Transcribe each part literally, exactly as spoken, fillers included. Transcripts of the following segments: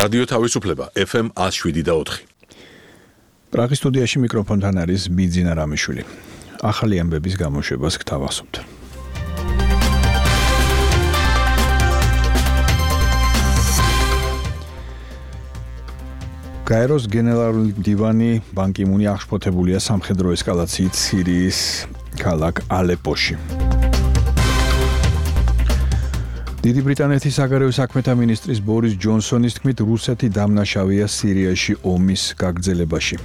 რადიო თავისუფლება ეფ ემ one oh seven point four. პრაღის სტუდიაში მიკროფონთან არის ბიძინა რამიშვილი. ახალი ამბების გამოშვებას გთავაზობთ. გაეროს გენერალური მდივანი ბან კი მუნი აღშფოთებულია სამხედრო ესკალაციით სირიის ქალაქ ალეპოში. დიდი ბრიტანეთის საგარეო საქმეთა მინისტრის ბორის ჯონსონის თქმით, რუსეთი დამნაშავეა სირიაში ომის გაგრძელებაში.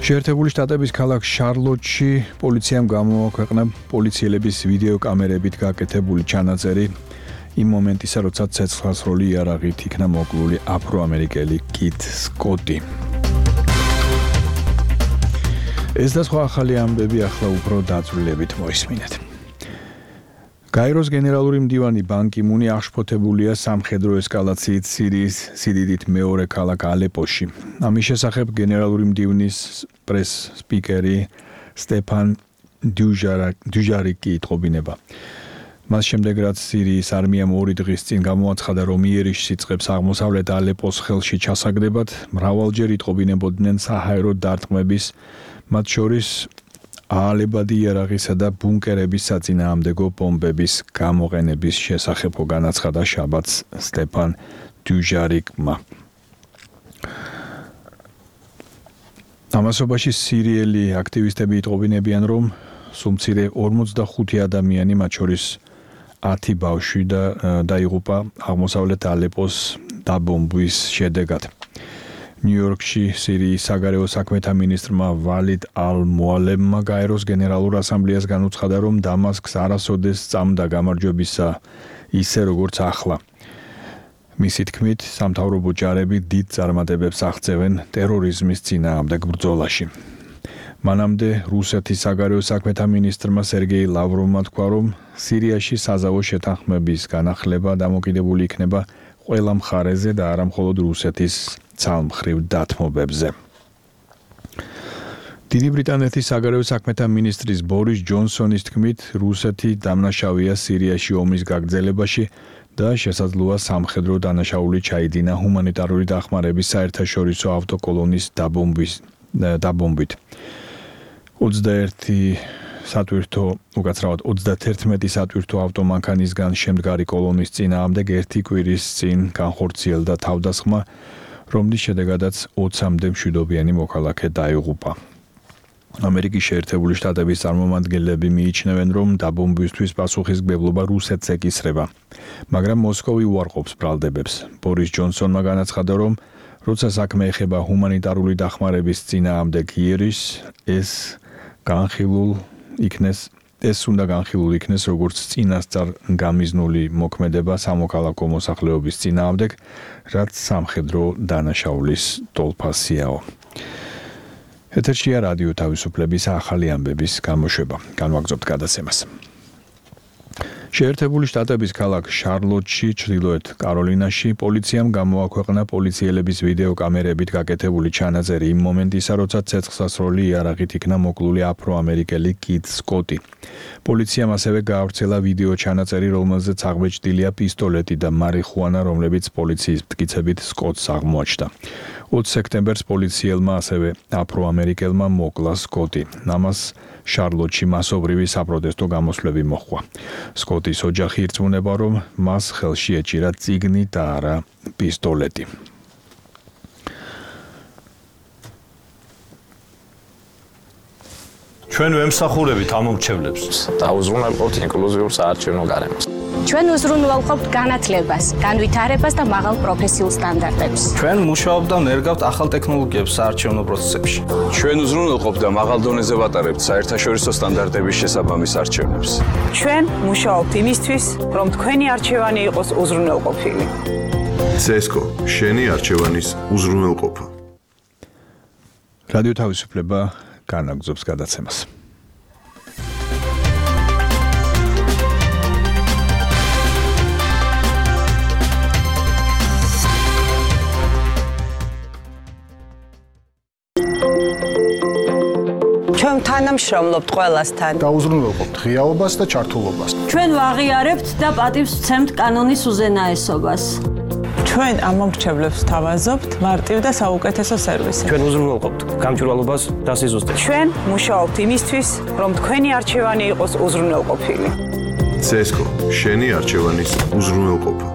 შეერთებული შტატების ქალაქ შარლოტში პოლიციამ გამოაქვეყნა პოლიციელების ვიდეო კამერებით გაკეთებული ჩანაწერი იმ მომენტისა, როცა ცეცხლსროლი იარაღით იქნა მოკლული აფრო-ამერიკელი კით სკოტი. ეს და სხვა ახალი ამბები ახლა უფრო დაწვრილებით მოისმინეთ. გაეროს გენერალური მდივანი ბან კი მუნი აღშფოთებულია სამხედრო ესკალაციით სირიის სიდიდით მეორე ქალაქ ალეპოში. ამის შესახებ გენერალური მდივნის პრეს სპიკერი სტეფან დუჟარიკი იტყობინება. მას შემდეგ, რაც სირიის არმიამ ორი დღის წინ გამოაცხადა, რომ იერიშ სიწყებს აღმოსავლეთ ალეპოს ხელში ჩასაგდებად, მრავალჯერ იტყობინებოდნენ საჰაერო დარტყმების, მათ შორის აალებადი იარაღისა და ბუნკერების საწინააღმდეგო ბომბების გამოყენების შესახებ განაცხადა შაბათს სტეფან დუჟარიკმა. ამასობაში სირიელი აქტივისტები იტყობინებიან, რომ სულ მცირე ორმოცდახუთი ადამიანი, მათ შორის ათი ბავშვი და დაიღუპა აღმოსავლეთ ალეპოს დაბომბვის შედეგად. ნიუ-იორკში სირიის საგარეო საქმეთა მინისტრმა ვალიდ ალ-მოალემმა გაეროს გენერალურ ასამბლეას განუცხადა, რომ დამასკს არასოდეს სწამდა გამარჯვებისა ისე როგორც ახლა. მისი თქმით, სამთავრობო ჯარები დიდ წარმატებებს აღწევენ ტერორიზმის წინააღმდეგ ბრძოლაში. მანამდე რუსეთის საგარეო საქმეთა მინისტრმა სერგეი ლავროვმა თქვა, რომ სირიაში საზავო შეთანხმების განახლება დამოკიდებული იქნება ყველა მხარეზე და არა მხოლოდ რუსეთის ცალმხრივ დათმობებზე. დიდი ბრიტანეთის საგარეო საქმეთა მინისტრის ბორის ჯონსონის თქმით, რუსეთი დამნაშავეა სირიაში ომის გაგრძელებაში და შესაძლოა სამხედრო დანაშაული ჩაიდინა ჰუმანიტარული დახმარების საერთაშორისო ავტოკოლონის დაბომბვით. ოცდაერთი სატვირთო, უკაცრავად ოცდათერთმეტი სატვირთო ავტომანქანისგან შემდგარი კოლონის წინააღმდეგ ერთი კვირის წინ განხორციელდა თავდასხმა, რომლის შედეგადაც ოცამდე მშვიდობიანი მოქალაქე დაიღუპა. ამერიკის შეერთებული შტატების წარმომადგენლები მიიჩნევენ, რომ დაბომბვისთვის პასუხისმგებლობა რუსეთს ეკისრება, მაგრამ მოსკოვი უარყოფს ბრალდებებს. ბორის ჯონსონმა განაცხადა, რომ როცა საქმე ეხება ჰუმანიტარული დახმარების წინააღმდეგ იერიშს, ეს განხილულ იქნეს ეს უნდა განხილულ იქნეს როგორც წინასწარ გამიზნული მოქმედება სამოქალაქო მოსახლეობის წინააღმდეგ, რაც სამხედრო დანაშაულის ტოლფასიაო. ეთერშია რადიო თავისუფლების ახალი ამბების გამოშვება. განვაგრძობთ გადაცემას. შეერთებული შტატების ქალაქ შარლოტში, ჩრდილოეთ კაროლინაში, პოლიციამ გამოაქვეყნა პოლიციელების ვიდეო კამერებით გაკეთებული ჩანაწერი იმ მომენტისა, როცა ცეცხლსასროლი იარაღით იქნა მოკლული აფრო-ამერიკელი კით სკოტი. პოლიციამ ასევე გაავრცელა ვიდეო ჩანაწერი, რომელზეც აღბეჭდილია პისტოლეტი და მარიხუანა, რომლებიც პოლიციის მტკიცებით სკოტს აღმოაჩნდა. ოცი სექტემბერს პოლიციელმა ასევე აფრო-ამერიკელმა მოკლა სკოტი. ამას შარლოტში მასობრივი საპროტესტო გამოსვლები მოჰყვა. სკოტის ოჯახი ირწმუნება, რომ მას ხელში ეჭირა წიგნი და არა პისტოლეტი. ჩვენ ვემსახურებით ამომრჩევლებს. დაუზრუნველყოფთ ინკლუზიურ საარჩევნო გარემოს. ჩვენ უზრუნველყოფთ განათლებას, განვითარებას და მაღალ პროფესიულ სტანდარტებს. ჩვენ მუშაობთ და ნერგავთ ახალ ტექნოლოგიებს საარჩევნო პროცესებში. ჩვენ უზრუნველყოფთ და მაღალ დონეზე ვატარებთ საერთაშორისო სტანდარტების შესაბამის არჩევნებს. ჩვენ მუშაობთ იმისთვის, რომ თქვენი არჩევანი იყოს უზრუნველყოფილი. ცესკო, შენი არჩევანის უზრუნველყოფა. რადიო თავისუფლება განაგზობს გადაცემას. ჩვენ თანამშრომლობთ ყველასთან. დაუზრუნველყოფთ ღიაობას და ჩართულობას. ჩვენ ვაღიარებთ და პატივს ვცემთ კანონის უზენაესობას. ჩვენ ამ მომრჩევლებს თავაზობთ მარტივ და საუკეთესო სერვისით. ჩვენ უზრუნველყოფთ გამჭვირვალობას და სიზუსტეს. ჩვენ მუშაობთ იმისთვის, რომ თქვენი არჩევანი იყოს უზრუნველყოფილი. ცესკო, შენი არჩევანის უზრუნველყოფა.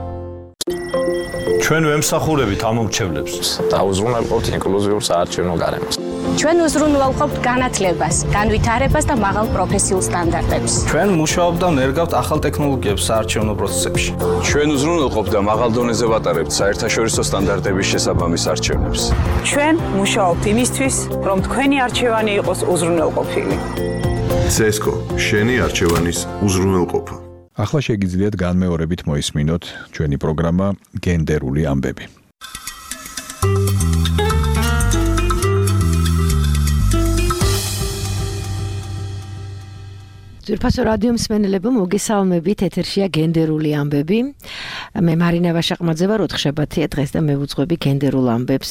ჩვენ ვემსახურებით ამ მომრჩევლებს და უზრუნველყოფთ ინკლუზიურ საარჩევნო გარემოს. ჩვენ უზრუნველყოფთ განათლებას, განვითარებას და მაღალ პროფესიულ სტანდარტებს. ჩვენ მუშაობთ და ნერგავთ ახალ ტექნოლოგიებს საარჩევნო პროცესებში. ჩვენ უზრუნველყოფთ და მაღალ დონეზე ვატარებთ საერთაშორისო სტანდარტების შესაბამის არჩევნებს. ჩვენ მუშაობთ იმისთვის, რომ თქვენი არჩევანი იყოს უზრუნველყოფილი. ცესკო, შენი არჩევანის უზრუნველყოფა. ახლა შეგიძლიათ განმეორებით მოისმინოთ ჩვენი პროგრამა გენდერული ამბები. ძვირფასო რადიო მსმენელებო, მოგესალმებით, ეთერშია გენდერული ამბები. მე მარინა ვაშაყმაძე ვარ, ოთხშაბათია დღეს და მე ვუძღვები გენდერულ ამბებს.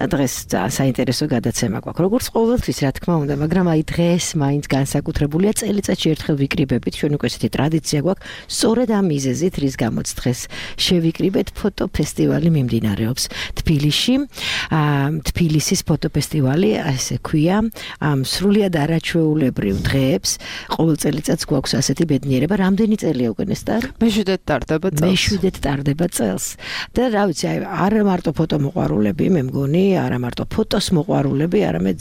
დღეს საინტერესო გადაცემა გვაქვს. როგორც ყოველთვის, რა თქმა უნდა, მაგრამ აი დღეს მაინც განსაკუთრებულია, წელიწადში ერთხელ ვიკრიბებით, ჩვენ უკვე ესეთი ტრადიცია გვაქვს, სწორედ ამ მიზეზით, რის გამოც დღეს შევიკრიბეთ ფოტოფესტივალი მიმდინარეობს თბილისში. თბილისის ფოტოფესტივალი, ასე ქვია, ამ სრულიად არაჩვეულებრივ დღეებს ყოველ წელიწადს გვაქვს ასეთი ბედნიერება. რამდენი წელია უკვე ნესტარ? მეშვიდე ტარდება წელს. მეშვიდე ტარდება წელს. და რა ვიცი, აი არა მარტო ფოტომოყვარულები, მე მგონი, არა მარტო ფოტოს მოყვარულები, არამედ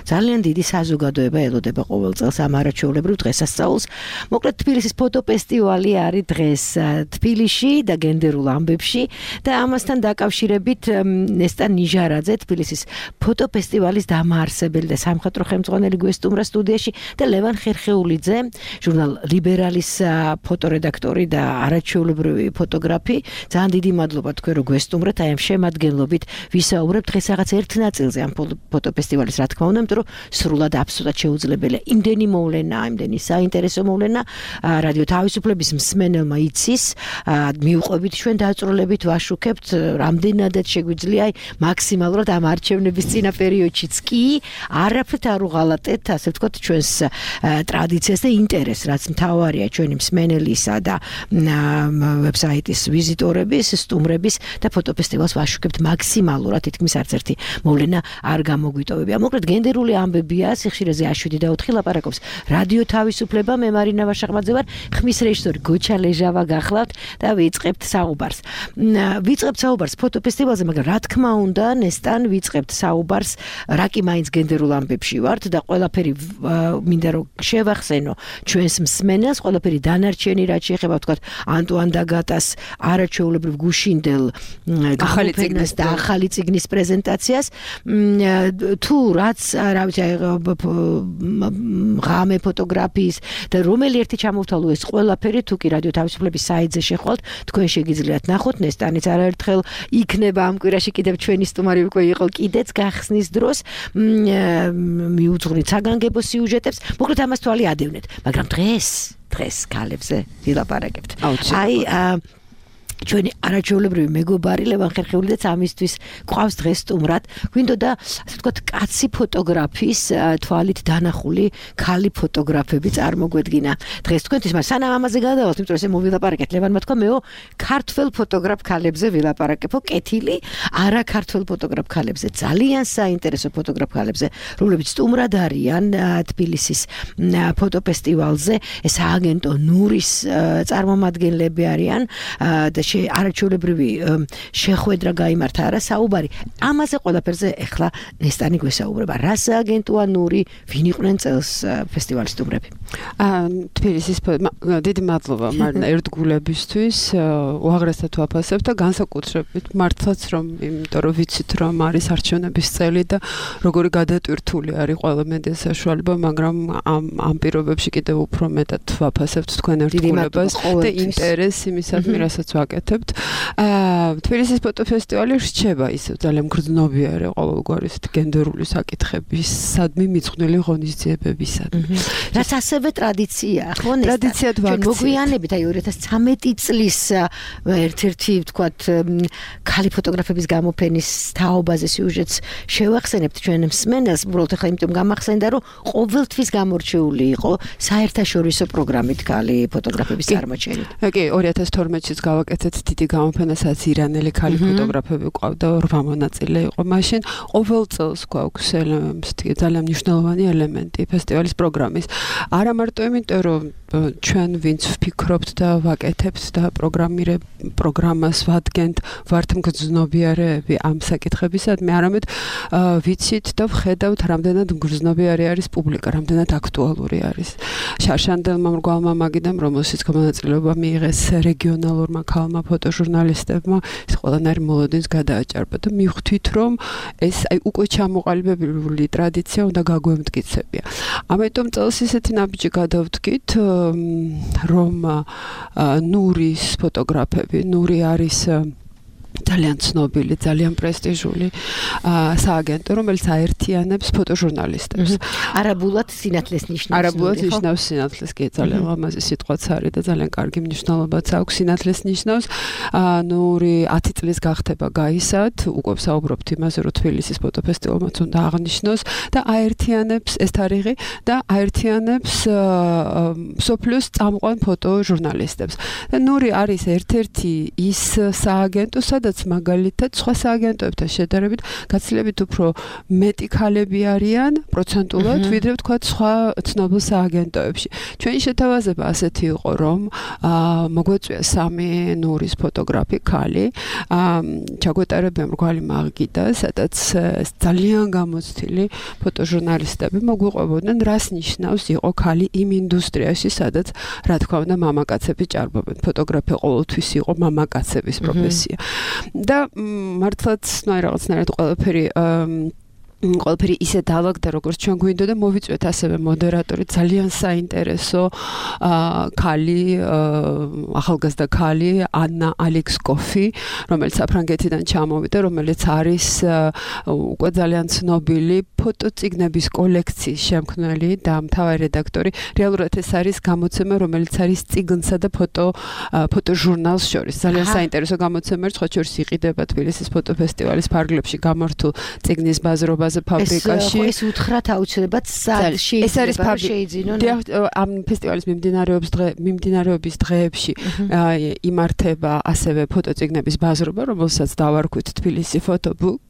ძალიან დიდი საზოგადოება ელოდება ყოველ წელს ამ არაჩვეულებრივ დღესასწაულს. მოკლედ თბილისის ფოტოფესტივალი არის დღეს თბილისში და გენდერულ ამბებში და ამასთან დაკავშირებით ნესტარ ნიჟარაძე, თბილისის ფოტოფესტივალის დამაარსებელი და სამხატვრო ხელმძღვანელი გვესტუმრა სტუდიაში და ლევან ხერხეულიძე, ჟურნალ ლიბერალის ფოტორედაქტორი და არაჩვეულებრივი ფოტოგრაფი. ძალიან დიდი მადლობა თქვენ რომ გვესტუმრეთ, აი ამ შემადგენლობით ვისაუბრებთ დღეს რაღაც ერთ ნაწილზე ამ ფოტოფესტივალის, რა თქმა უნდა, იმიტომ რომ სრულად აბსოლუტურად შეუძლებელია იმდენი მოვლენა, იმდენი საინტერესო მოვლენა რადიო თავისუფლების მსმენელმა იცის, მიუყვებით ჩვენ დაწვრილებით ვაშუქებთ, რამდენადაც შეგვიძლია მაქსიმალურად ამ არჩევნების წინა პერიოდშიც კი არაფრით არ უღალატეთ, ასე ვთქვათ, ჩვენს ტრადიციას და ინტერესს, რაც მთავარია ჩვენი მსმენელისა და ვებსაიტის ვიზიტორების, სტუმრების და ფოტოფესტივალს ვაშუქებთ მაქსიმალურად, თითქმის არც ერთი მოვლენა არ გამოგვიტოვებია. მოკლედ გენდერული ამბებია, სიხშირეზე შვიდი და ოთხი ლაპარაკობს რადიო თავისუფლება, მე მარინა ვაშაყმაძე ვარ, ხმის რეჟისორი გოჩა ლეჟავა გახლავთ და ვიწყებთ საუბარს. ვიწყებთ საუბარს ფოტოფესტივალზე, მაგრამ რა თქმა უნდა, ნესტან ვიწყებთ საუბარს, რა კი მაინც გენდერულ ამბებში ვართ და ყველაფერი მინდა რომ შევახსენო ჩვენს მსმენელს, ყველაფერი დანარჩენი რაც შეეხება ვთქვათ ანტუან დაგატას არაჩვეულებრივ გუშინდელ გამოფენას და ახალი წიგნის პრეზენტაციას, თუ რაც რა ვიცი ღამე ფოტოგრაფიის და რომელი ერთი ჩამოვთვალო ეს ყველაფერი, თუ კი რადიო თავისუფლების საიტზე შეხვალთ, თქვენ შეგიძლიათ ნახოთ. ნესტანიც არაერთხელ იქნება ამ კვირაში კიდევ ჩვენი სტუმარი უკვე იყო კიდეც გახსნის დროს, მიუძღვნით საგანგებო სიუჟეტებს. მოკლედ ამას თვალი ადევნეთ, მაგრამ დღეს დღეს ქალებზე ვილაპარაკებთ. აი ჩვენი არაჩვეულებრივი მეგობარი ლევან ხერხეულიძეც ამისთვის გვყავს დღეს სტუმრად. გვინდოდა ასე ვთქვათ კაცი ფოტოგრაფის თვალით დანახული ქალი ფოტოგრაფები წარმოგვედგინა დღეს თქვენთვის, მაგრამ სანამ ამაზე გადავალთ, იმიტომ რომ ესე მოვილაპარაკეთ, ლევანმა თქვა მეო ქართველ ფოტოგრაფ ქალებზე ვილაპარაკებო, კეთილი არა ქართველ ფოტოგრაფ ქალებზე, ძალიან საინტერესო ფოტოგრაფ ქალებზე, რომლებიც სტუმრად არიან თბილისის ფოტოფესტივალზე. ეს აგენტო ნურის წარმომადგენლები არიან და არაჩვეულებრივი შეხვედრა გაიმართა არა საუბარი. ამაზე ყველაფერზე ეხლა ნესტანი გვესაუბრება. რა სააგენტოა ნური, ვინ იყვნენ წელს ფესტივალის სტუმრები? თბილისის დიდი მადლობა მარინა ერთგულებისთვის, უაღრესად ვაფასებთ და განსაკუთრებით მართლაც რომ იმიტომ რომ ვიცით რომ არის არჩევნების წელი და როგორი გადატვირთული არის ყველა მედია საშუალება, მაგრამ ამ ამ პირობებში კიდევ უფრო მეტად ვაფასებთ თქვენ ერთგულებას და ინტერესს იმისადმი, რასაც ვაკეთებთ ვაკეთებთ. აა თბილისის ფოტოფესტივალი რჩება ისევ ძალიან გრძნობიარე ყოველგვარი გენდერული საკითხებისადმი მიძღვნილი ღონისძიებებისადმი. რაც ასევე ტრადიციაა, ხო? ტრადიციად ვაქცია. მოგვიანებით აი ორი ათას ცხრამეტი წლის ერთ-ერთი ვთქვათ ქალი ფოტოგრაფების გამოფენის თაობაზე სიუჟეტს შევახსენებთ ჩვენ მსმენელს, უბრალოდ ახლა იმიტომ გამახსენდა, რომ ყოველთვის გამორჩეული იყო საერთაშორისო პროგრამით ქალი ფოტოგრაფების წარმოჩენით. კი, ორი ათას თორმეტშიც გავაკეთეთ დიდი გამოფენა, სადაც ირანელი ქალი ფოტოგრაფები ყავდა, რვა მონაწილე იყო მაშინ. ყოველ წელს გვაქვს ძალიან მნიშვნელოვანი ელემენტი ფესტივალის პროგრამის. არა მარტო იმიტომ, რომ ჩვენ ვინც ვფიქრობთ და ვაკეთებთ და პროგრამირებ პროგრამას ვადგენთ, ვართ მგრძნობიარეები ამ საკითხებისადმი, არამედ ვიცით და ვხედავთ, რამდენად მგრძნობიარე არის პუბლიკა, რამდენად აქტუალური არის. შარშანდელმა მრგვალმა მაგიდამ, რომელშიც მონაწილეობა მიიღეს რეგიონალურმა ქალმა ფოტოჟურნალისტებმა, ეს ყველანაირი მოლოდინს გადააჭარბა და მივხვდით, რომ ეს აი უკვე ჩამოყალიბებული ტრადიცია უნდა გაგვემტკიცებია. ამიტომ წელს ისეთი ნაბიჯი გადავდგით, რომ ნურის ფოტოგრაფები, ნური არის ძალიან ცნობილი, ძალიან პრესტიჟული სააგენტო, რომელიც აერთიანებს ფოტოჟურნალისტებს. არაბულად სინათლეს ნიშნავს. არაბულად ნიშნავს სინათლეს, კი, ძალიან ლამაზი სიტყვაც არის და ძალიან კარგი მნიშვნელობაც აქვს სინათლეს ნიშნავს. ნური ათი წლის გახდება გაისად, უკვე საუბრობთ იმაზე, რომ თბილისის ფოტოფესტივალმაც უნდა აღნიშნოს და აერთიანებს ეს თარიღი და აერთიანებს მსოფლიოს წამყვან ფოტოჟურნალისტებს. და ნური არის ერთ-ერთი ის სააგენტო, სადაც მაგალითად სხვა სააგენტოებთან შედარებით გაცილებით უფრო მეტი ქალები არიან პროცენტულად, ვიდრე ვთქვათ სხვა ცნობილ სააგენტოებში. ჩვენი შეთავაზება ასეთი იყო, რომ მოგვეწვია სამი ნურის ფოტოგრაფი ქალი, ჩაგვეტარებია მრგვალი მაგიდა, სადაც ძალიან გამოცდილი ფოტოჟურნალისტები მოგვიყვებოდნენ, რას ნიშნავს იყო ქალი იმ ინდუსტრიაში, სადაც რა თქმა უნდა მამაკაცები ჭარბობენ. ფოტოგრაფია ყოველთვის იყო მამაკაცების პროფესია. და მართლაც ნაი რაღაცნაირად ყველაფერი ყველაფერი ისე დავაგდა, როგორც ჩვენ გვინდოდა, მოვიწვიეთ ასევე მოდერატორი, ძალიან საინტერესო ქალი, ახალგაზრდა ქალი, ანა ალექსკოფი, რომელიც საფრანგეთიდან ჩამოვიდა, რომელიც არის უკვე ძალიან ცნობილი ფოტოწიგნების კოლექციის შემქმნელი და მთავარი რედაქტორი. რეალურად ეს არის გამოცემა, რომელიც არის წიგნსა და ფოტო ფოტოჟურნალს შორის. ძალიან საინტერესო გამოცემა, სხვა შორის იყიდება თბილისის ფოტოფესტივალის ფარგლებში გამართულ წიგნის ბაზრობა ფაბრიკაში. ეს უთხრათ აუცილებლად სალში ეს არის შეიძინონ. ამ ფესტივალის მიმდინარეობს დღე მიმდინარეობის დღეებში იმართება ასევე ფოტოწიგნების ბაზრობა, რომელსაც დავარქვით თბილისი ფოტობუქ.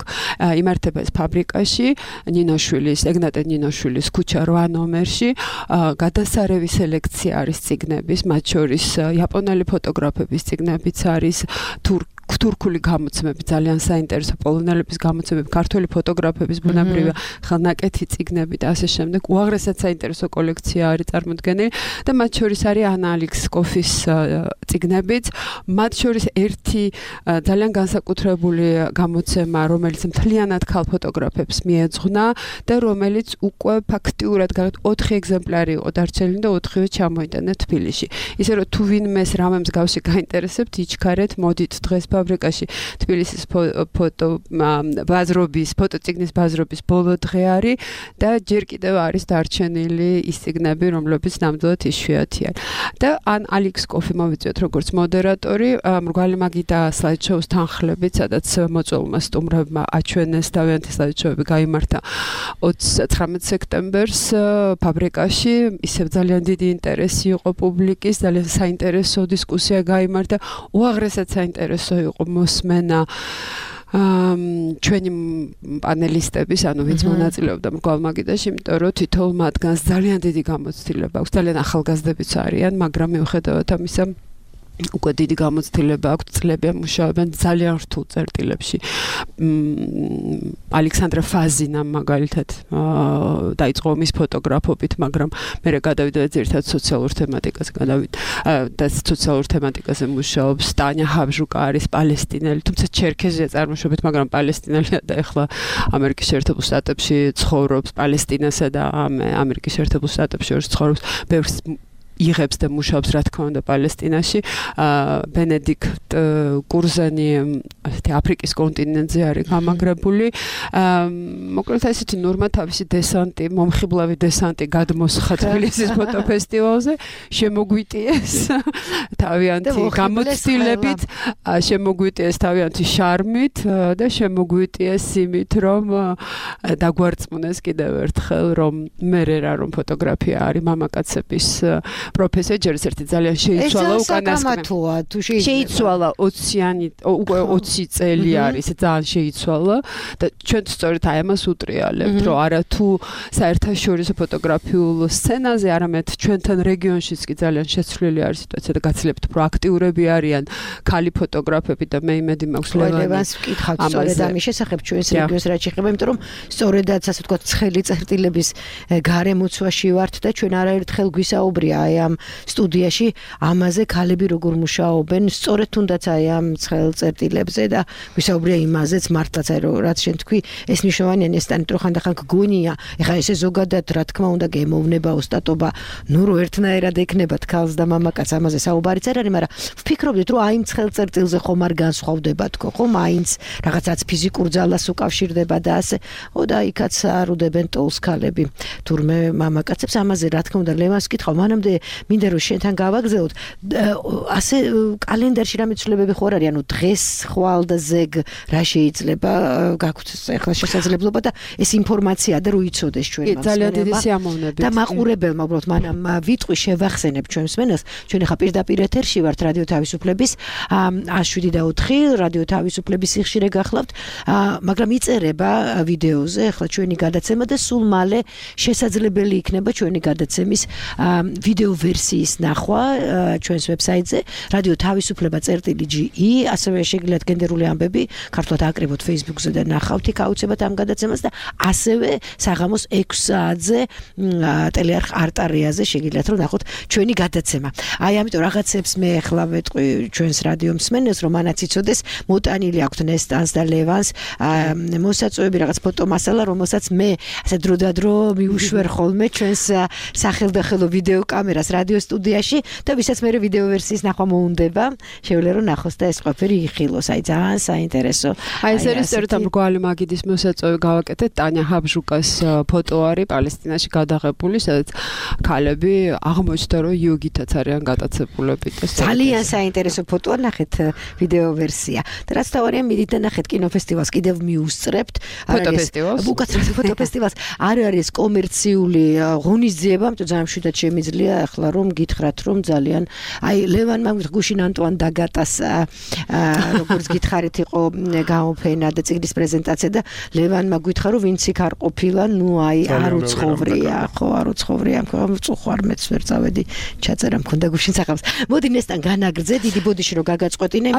იმართება ეს ფაბრიკაში, ნინოშვილის, ეგნატე ნინოშვილის ქუჩა რვა ნომერში. გადასარევი სელექცია არის წიგნების, მათ შორის იაპონელი ფოტოგრაფების წიგნებიც არის, თურქ თურქული გამოცემები, ძალიან საინტერესო პოლონელების გამოცემები, ქართველი ფოტოგრაფების ბუნებრივია ხელნაკეთი წიგნები და ასე შემდეგ. უაღრესად საინტერესო კოლექცია არის წარმოდგენილი და მათ შორის არის ანა ალექსკოფის წიგნებიც. მათ შორის ერთი ძალიან განსაკუთრებული გამოცემა, რომელიც მთლიანად ქალ ფოტოგრაფებს მიეძღვნა და რომელიც უკვე ფაქტიურად ოთხი ეგზემპლარი იყო დარჩენილი და ოთხივე ჩამოიტანა თბილისში. ისე რომ თუ ვინმეს რამე მსგავსი გაინტერესებთ, იჩქარეთ, მოდით დღეს ფაბრიკაში თბილისის ფოტო ბაზრობის, ფოტოწიგნის ბაზრობის ბოლო დღე არის და ჯერ კიდევ არის დარჩენილი ის წიგნები, რომლებიც ნამდვილად იშვიათია. და ან ალექსკოფი მოვიწვიეთ როგორც მოდერატორი, მრგვალი მაგიდა სლაიდშოუს თანხლებით, სადაც მოწვეულმა სტუმრებმა აჩვენეს თავიანთი სლაიდშოუები გაიმართა ოცდათხრამეტ სექტემბერს ფაბრიკაში. ისევ ძალიან დიდი ინტერესი იყო პუბლიკის, ძალიან საინტერესო დისკუსია გაიმართა, უაღრესად საინტერესო იყო მოსმენა ჩვენი პანელისტების, ანუ ვინც მონაწილეობდა მრგვალ მაგიდაში, იმიტომ რომ თითოეულ მათგანს ძალიან დიდი გამოცდილება აქვს, ძალიან ახალგაზრდებიც არიან, მაგრამ მიუხედავად ამისა უკვე დიდი გამოცდილება აქვს, წლებია მუშაობენ ძალიან რთულ წერტილებში. ალექსანდრა ფაზინა მაგალითად დაიწყო მის ფოტოგრაფობით, მაგრამ მე გადავიდა ერთად სოციალურ თემატიკაზე, გადავიდა და სოციალურ თემატიკაზე მუშაობს. ტანია ჰაბჟუკა არის პალესტინელი, თუმცა ჩერქეზია წარმოშობით, მაგრამ პალესტინელია და ეხლა ამერიკის შეერთებულ შტატებში ცხოვრობს, პალესტინასა და ამერიკის შეერთებულ შტატებში შორის ცხოვრობს. ბევრს იღებს და მუშაობს რა თქმა უნდა პალესტინაში. ბენედიქტ კურზანი ასეთი აფრიკის კონტინენტზე არის გამაგრებული. მოკლედ ესეთი ნორმა თავისი დესანტი, მომხიბლავი დესანტი გადმოსხა თბილისის ფოტოფესტივალზე, შემოგვიტიეს თავიანთი გამოცდილებით, შემოგვიტიეს თავიანთი შარმით და შემოგვიტიეს იმით, რომ დაგვარწმუნეს კიდევ ერთხელ, რომ მერე რა რომ ფოტოგრაფია არის მამაკაცების პროფესია, ჯერ ერთი ძალიან შეიცვალა უკანასკნელი. შეიცვალა ოციანი უკვე ოცი წელი არის, ძალიან შეიცვალა და ჩვენ სწორედ აი ამას უტრიალებთ, რომ არა თუ საერთაშორისო ფოტოგრაფიულ სცენაზე, არამედ ჩვენთან რეგიონშიც კი ძალიან შეცვლილი არის სიტუაცია და გაცილებით უფრო აქტიურები არიან ქალი ფოტოგრაფები და მე იმედი მაქვს ლევანს ვკითხავთ სწორედ ამის შესახებ ჩვენს რეგიონს რაც შეეხება, იმიტომ რომ სწორედაც ასე ვთქვათ ცხელი წერტილების გარემოცვაში ვართ და ჩვენ არაერთხელ გვისაუბრია აი ამ სტუდიაში ამაზე ქალები როგორ მუშაობენ სწორედ თუნდაც აი ამ ცხელ წერტილებზე და გვისაუბრია იმაზეც მართლაც აი რაც შენ თქვი ეს მნიშვნელოვანია ნესტანი რო ხანდახან გგონია ეხლა ესე ზოგადად რა თქმა უნდა გემოვნება ოსტატობა ნუ რო ერთნაირად ექნება თქალს და მამაკაც ამაზე საუბარიც არ არის მაგრამ ვფიქრობდით რომ აი ამ ცხელ წერტილზე ხომ არ განსხვავდება თქო ხომ მაინც რაღაცაც ფიზიკურ ძალას უკავშირდება და ასე ო და იქაც არუდებენ ტოლს ქალები თურმე მამაკაცებს ამაზე რა თქმა უნდა ლევანს ვკითხავ მანამდე მინდა რომ შენთან გავაგზავნოთ ასე კალენდარში რამე ცვლილებები ხო არ არის ანუ დღეს ხვალ და ზეგ რა შეიძლება გაქვთ ახლა შესაძლებლობა და ეს ინფორმაცია და რო იცოდეს ჩვენ მას ძალიან დიდი სიამოვნებით და მაყურებელმა უბრალოდ მანამ ვიტყვი შევახსენებ ჩვენს მენას ჩვენ ახლა პირდაპირ ეთერში ვართ რადიო თავისუფლების ას შვიდი და ოთხი რადიო თავისუფლების სიხშირე გახლავთ მაგრამ იწერება ვიდეოზე ახლა ჩვენი გადაცემა და სულ მალე შესაძლებელი იქნება ჩვენი გადაცემის ვიდეო ვერსიის ნახვა ჩვენს ვებსაიტზე რადიო თავისუფლება წერტილი ჯი ი ასევე შეგიძლიათ გენდერული ამბები ქართულად აკრიბოთ Facebook-ზე და ნახავთ იქ აუცილებლად ამ გადაცემას და ასევე საღამოს ექვს საათზე ტელეარხ არტარიაზე შეგიძლიათ რომ ნახოთ ჩვენი გადაცემა. აი ამიტომ რაღაცებს მე ახლა ვეტყვი ჩვენს რადიო მსმენელს რომ ანაც იცოდეს მოტანილი აქვთ ნესტანს და ლევანს მოსაწვევები რაღაც ფოტომასალა რომელსაც მე ასე დრო და დრო მიუშვერ ხოლმე ჩვენს სახელდახელო ვიდეო კამერას რადიო სტუდიაში და ვისაც მე ვიდეო ვერსიის ნახვა მოუნდება შეუძლია რომ ნახოს და ეს ყველაფერი იხილოს აი ძალიან საინტერესო აი ეს არის სწორედ ამ გვალი მაგიდის მოსაწვევი გავაკეთეთ ტანია ჰაბჟუკას ფოტო არის პალესტინაში გადაღებული სადაც ქალები აღმოჩნდა რომ იოგითაც არიან გატაცებულები და ძალიან საინტერესო ფოტოა ნახეთ ვიდეო ვერსია და რაც თავარია მიდით და ნახეთ კინოფესტივალს კიდევ მიუსწრებთ ფოტოფესტივალს უკაცრავად ფოტოფესტივალს არ არის კომერციული ღონისძიება ამიტომ ძალიან მშვიდად შემიძლია ახლა რომ გითხრათ რომ ძალიან აი ლევანმა გუშინ ანტუან დაგატას როგორც გითხარით იყო გამოფენა და ციგნის პრეზენტაცია და ლევანმა გითხრა რომ ვინც იქ არ ყოფილა ნუ აი არ უცხოვრია ხო არ უცხოვრია ამ წუხვარ მეც ვერ წავედი ჩაწერა მქონდა გუშინ საღამოს მოდი ნესტან განაგრძე დიდი ბოდიში რომ გაგაწყვეტინე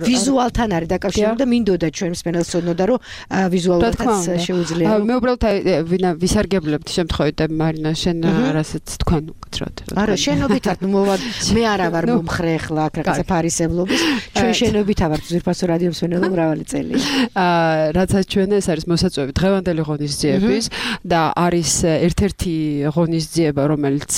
ვიზუალთან არის დაკავშირებული და მინდოდა ჩვენ მსმენელს ცოდნოდა რომ ვიზუალურადაც შეუძლია მე უბრალოდ ვისარგებლებთ შემთხვევით და მარინა შენ რასაც თქვენ უკეთრად არა შენობითად ნუ მოვა მე არა ვარ მომხრე ახლა რაღაცა ფარისებლობის ჩვენ შენობითა ვართ ზირფასო რადიო მსმენელო მრავალი წელი აა რაცაც ჩვენ ეს არის მოსაწვევი დღევანდელი ღონისძიების და არის ერთ-ერთი ღონისძიება რომელიც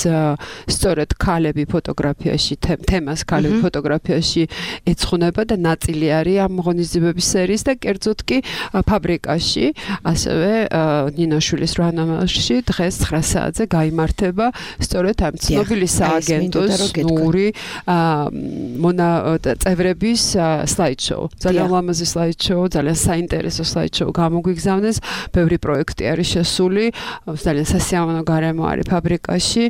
სწორედ ქალები ფოტოგრაფიაში თემას ქალები ფოტოგრაფიაში ეძღვნება და ნაწილი არის ამ ღონისძიებების სერიის და კერძოდ კი ფაბრიკაში ასევე ნინაშვილის რანამაში დღეს ცხრა საათზე გაიმართება სწორედ ამ ცნობილი სააგენტოს ნური მონა წევრების სლაიდ-შოუ ძალიან ლამაზი სლაიდ-შოუ ძალიან საინტერესო სლაიდ-შოუ გამოგვიგზავნეს ბევრი პროექტი არის შესული ძალიან სასიამოვნო გარემო არის ფაბრიკაში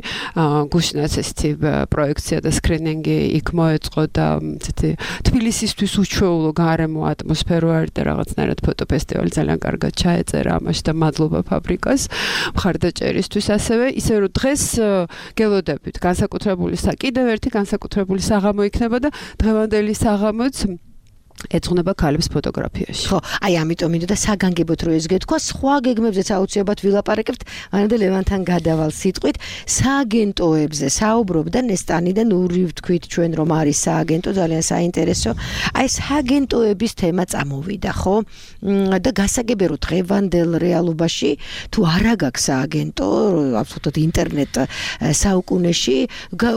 გუშინაც ესეთი პროექცია და სკრინინგი იქ მოეწყო და ესეთი თბილისისთვის უჩვეულო გარემო ატმოსფერო არის და რაღაცნაირად ფოტოფესტივალი ძალიან კარგად ჩაეწერა ამაში და მადლობა ფაბრიკას მხარდაჭერისთვის ასევე ისე რომ დღეს გელოდებით განსაკუთრებული კიდევ ერთი განსაკუთრებული საღამო იქნება და დღევანდელი საღამოც ეძღვნება ქალებს ფოტოგრაფიაში. ხო, აი ამიტომ მინდოდა საგანგებოდ რო ეს გეთქვა, სხვა გეგმებზეც აუცილებლად ვილაპარაკებთ, მანამდე ლევანთან გადავალ სიტყვით, სააგენტოებზე საუბრობდა ნესტანი და ნური ვთქვით ჩვენ რომ არის სააგენტო, ძალიან საინტერესო. აი სააგენტოების თემა წამოვიდა, ხო? და გასაგებია რომ დღევანდელ რეალობაში თუ არა გაქვს სააგენტო, აბსოლუტურად ინტერნეტ საუკუნეში,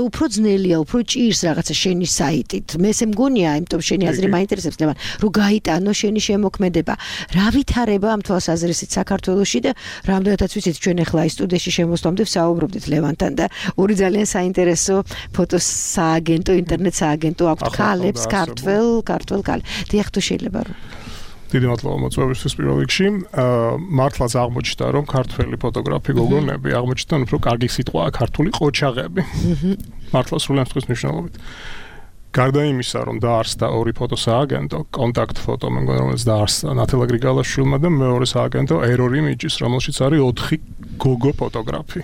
უფრო ძნელია, უფრო ჭირს რაღაცა შენი საიტით. მე ესე მგონია, იმიტომ შენი აზრი მაინტერესებს რომ გაიტანო შენი შემოქმედება. რა ვითარება ამ თვალსაზრისით საქართველოში და რამდენადაც ვიცით ჩვენ ახლა ის სტუდიაში შემოსვლამდე ვსაუბრობდით ლევანთან და ორი ძალიან საინტერესო ფოტოს სააგენტო, ინტერნეტ სააგენტო აქვს ქალებს, ქართველ, ქართველ ქალ. დიახ, თუ შეიძლება რომ დიდი მადლობა მოწვევისთვის პირველ რიგში. მართლაც აღმოჩნდა რომ ქართველი ფოტოგრაფი გოგონები აღმოჩნდნენ უფრო კარგი სიტყვაა ქართული ყოჩაღები. მართლა სრული ამსხვის მნიშვნელობით. გარდა იმისა, რომ დაარსდა ორი ფოტოსააგენტო, კონტაქტ ფოტო, მე მგონი რომელიც დაარსდა ნათელა გრიგალაშვილმა და მეორე სააგენტო Error Images, რომელშიც არის ოთხი გოგო ფოტოგრაფი.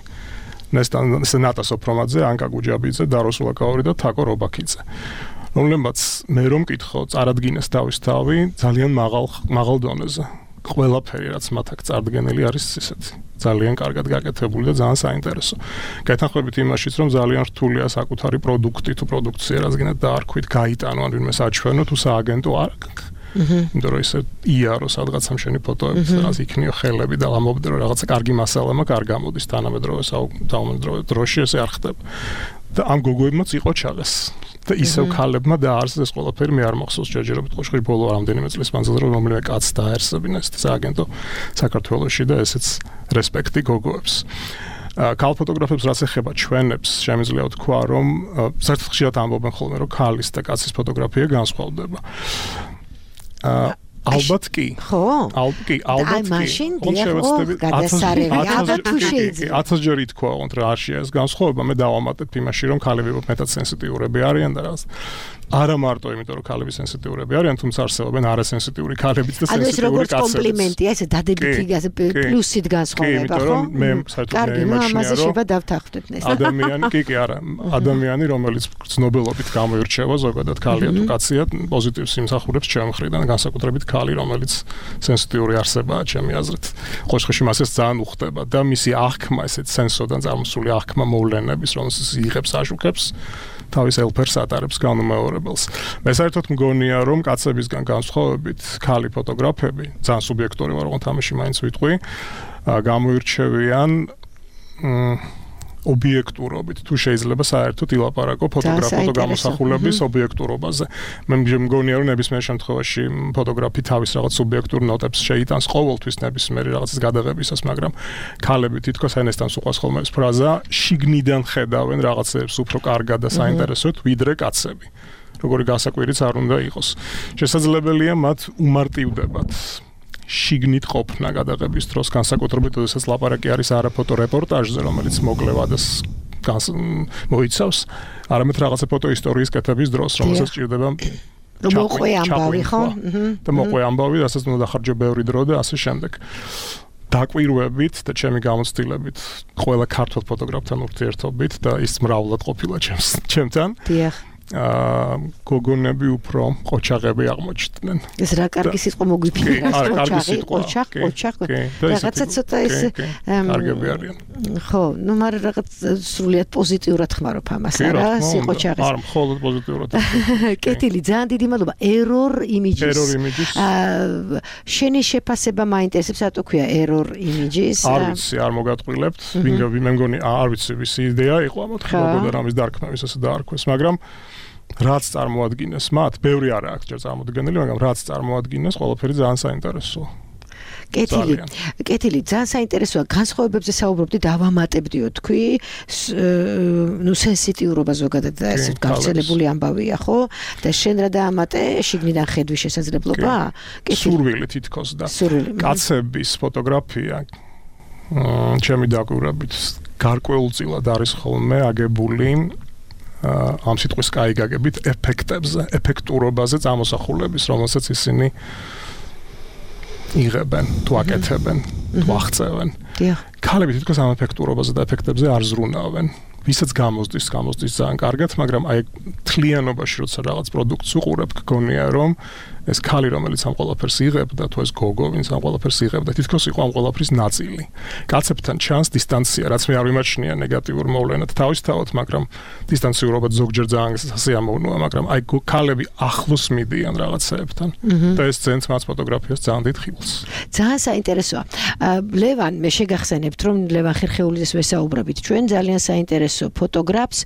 ნესტან ნატა სოფრომაძე, ანკა გუჯაბიძე, დარო სულაკაური და თაკო რობაქიძე. რომლებმაც მე რომ მკითხო, წარადგინეს თავისთავი ძალიან მაღალ მაღალ დონეზე. ყველაფერი რაც მათ აქ წარდგენილი არის ისეთი ძალიან კარგად გაკეთებული და ძალიან საინტერესო. გეთანხმებით იმაშიც რომ ძალიან რთულია საკუთარი პროდუქტი თუ პროდუქცია რადგანაც დაარქვით, გაიტანო ან ვინმე საჩვენო თუ სააგენტო არ აქვს. იმიტომ რომ ისე იარო სადღაცამ შენი ფოტოები რაღაც იქნიო ხელები და ამობდრო რაღაცა კარგი მასალა მაქვს არ გამოდის თანამედროვე საუკუნეო დროში ესე არ ხდება. და ამ გოგოებმაც იყო ჩაღეს. და ისევ ქალებმა დაარსეს ეს ყველაფერი მე არ მახსოვს ჯერჯერობით ყოშხი ბოლო რამდენიმე წლის მანძილზე რომ რომელიმე კაცს დაარსებინა ეს სააგენტო საქართველოში და ესეც რესპექტი გოგოებს. ქალ ფოტოგრაფებს რაც ეხება ჩვენებს შემიძლია ვთქვა რომ საერთოდ ხშირად ამბობენ ხოლმე რომ ქალის და კაცის ფოტოგრაფია განსხვავდება. ალბათ კი. ხო? ალბათ კი, ალბათ კი. მაშინ დიახ, გადასარევი, ალბათ თუ შეიძლება. ათას ჯერ ითქვა, რომ რა არის ეს განსხვავება, მე დავამატებ იმაში, რომ ქალები მეტად სენსიტიურები არიან და რაღაც. არა მარტო იმიტომ რომ ქალები სენსიტიურები არიან, თუმცა არსებობენ არასენსიტიური ქალებიც და სენსიტიური კაცებიც. ანუ ეს როგორც კომპლიმენტია, ესე დადებითი პლუსით განსხვავება, ხო? მე საერთოდ მე იმაშია რომ შეიძლება დავთანხმდეთ ეს. ადამიანი, კი კი არა, ადამიანი რომელიც ცნობილობით გამოირჩევა, ზოგადად ქალია თუ კაცია, პოზიტივს იმსახურებს ჩემ მხრიდან, განსაკუთრებით ქალი, რომელიც სენსიტიური არსებაა ჩემი აზრით. ყოშხში მასეს ძალიან უხდება და მისი აღქმა, ესეთ სენსოდან წარმოსული აღქმა მოვლენების, რომელსაც იღებს, აშუქებს თავის ელფერს ატარებს განუმეორებელს. მე საერთოდ მგონია, რომ კაცებისგან განსხვავებით, ქალი ფოტოგრაფები, ძალიან სუბიექტური ვარ, რომ თამაში მაინც ვიტყვი, გამოირჩევიან ობიექტურობით, თუ შეიძლება საერთოდ ილაპარაკო ფოტოგრაფო გამოსახულების ობიექტურობაზე. მე მგონია, რომ ნებისმიერ შემთხვევაში ფოტოგრაფი თავის რაღაც სუბიექტურ ნოტებს შეიტანს ყოველთვის ნებისმიერი რაღაცის გადაღებისას, მაგრამ ქალები თითქოს ენესთან უყვას ხოლმე ეს ფრაზა, შიგნიდან ხედავენ რაღაცებს უფრო კარგად და საინტერესოდ, ვიდრე კაცები. როგორი გასაკვირიც არ უნდა იყოს. შესაძლებელია მათ უმარტივდებათ შიგნით ყოფნა გადაღების დროს, განსაკუთრებით როდესაც ლაპარაკი არის არაფოტო რეპორტაჟზე, რომელიც მოკლე ვადას მოიცავს, არამედ რაღაცა ფოტო ისტორიის კეთების დროს, რომელსაც ჭირდება რომ მოყვე ამბავი, ხო? და მოყვე ამბავი, რასაც უნდა დახარჯო ბევრი დრო და ასე შემდეგ. დაკვირვებით და ჩემი გამოცდილებით, ყველა ქართულ ფოტოგრაფთან ურთიერთობით და ის მრავლად ყოფილა ჩემს ჩემთან. დიახ. აა გოგონები უფრო ყოჩაღები აღმოჩნდნენ. ეს რა კარგი სიტყვა მოგვიფიქრა, ყოჩაღი, ყოჩაღ, ყოჩაღ. რაღაცა ცოტა ეს კარგები არიან. ხო, ნუ მაგრამ რაღაც სრულიად პოზიტიურად ხმარობ ამას, არა, სიყოჩაღის. არ მხოლოდ პოზიტიურად. კეთილი, ძალიან დიდი მადლობა. Error Images. Error Images. აა შენი შეფასება მაინტერესებს, რატო ქვია Error Images? არ ვიცი, არ მოგატყვილებთ. ვინგა მე მგონი არ ვიცი, ვისი იდეა იყო ამ მოთხოვნებოდა რამის დარქმევის ასე დაარქვეს, მაგრამ რაც წარმოადგინეს მათ, ბევრი არა აქვს ჯერ წარმოდგენილი, მაგრამ რაც წარმოადგინეს, ყველაფერი ძალიან საინტერესოა. კეთილი, კეთილი, ძალიან საინტერესოა. განსხვავებებზე საუბრობდი, დავამატებდიო თქვი, ნუ სენსიტიურობა ზოგადად და ეს გავრცელებული ამბავია, ხო? და შენ რა დაამატე, შიგნიდან ხედვის შესაძლებლობა? სურვილი თითქოს და კაცების ფოტოგრაფია ჩემი დაკვირვებით გარკვეულწილად არის ხოლმე აგებული ამ სიტყვის კაიგაგებით ეფექტებზე, ეფექტურობაზე წამოსახულების, რომელსაც ისინი იღებენ, თუ აკეთებენ, თუ აღწევენ. ქალები თითქოს ამ ეფექტურობაზე და ეფექტებზე არ ზრუნავენ. ვისაც გამოსდის, გამოსდის ძალიან კარგად, მაგრამ აი თლიანობაში როცა რაღაც პროდუქტს უყურებ, გქონია რომ ეს ქალი რომელიც ამ ყველაფერს იღებდა თუ ეს გოგო ვინც ამ ყველაფერს იღებდა თითქოს იყო ამ ყველაფრის ნაწილი კაცებთან ჩანს დისტანცია რაც მე არ ვიმაჩნია ნეგატიურ მოვლენად თავისთავად მაგრამ დისტანციურობა ზოგჯერ ძალიან სასიამოვნოა მაგრამ აი ქალები ახლოს მიდიან რაღაცეებთან და ეს ძენც მას ფოტოგრაფიას ძალიან დიდ ხილს ძალიან საინტერესოა ლევან მე შეგახსენებთ რომ ლევან ხერხეულიძეს ვესაუბრებით ჩვენ ძალიან საინტერესო ფოტოგრაფს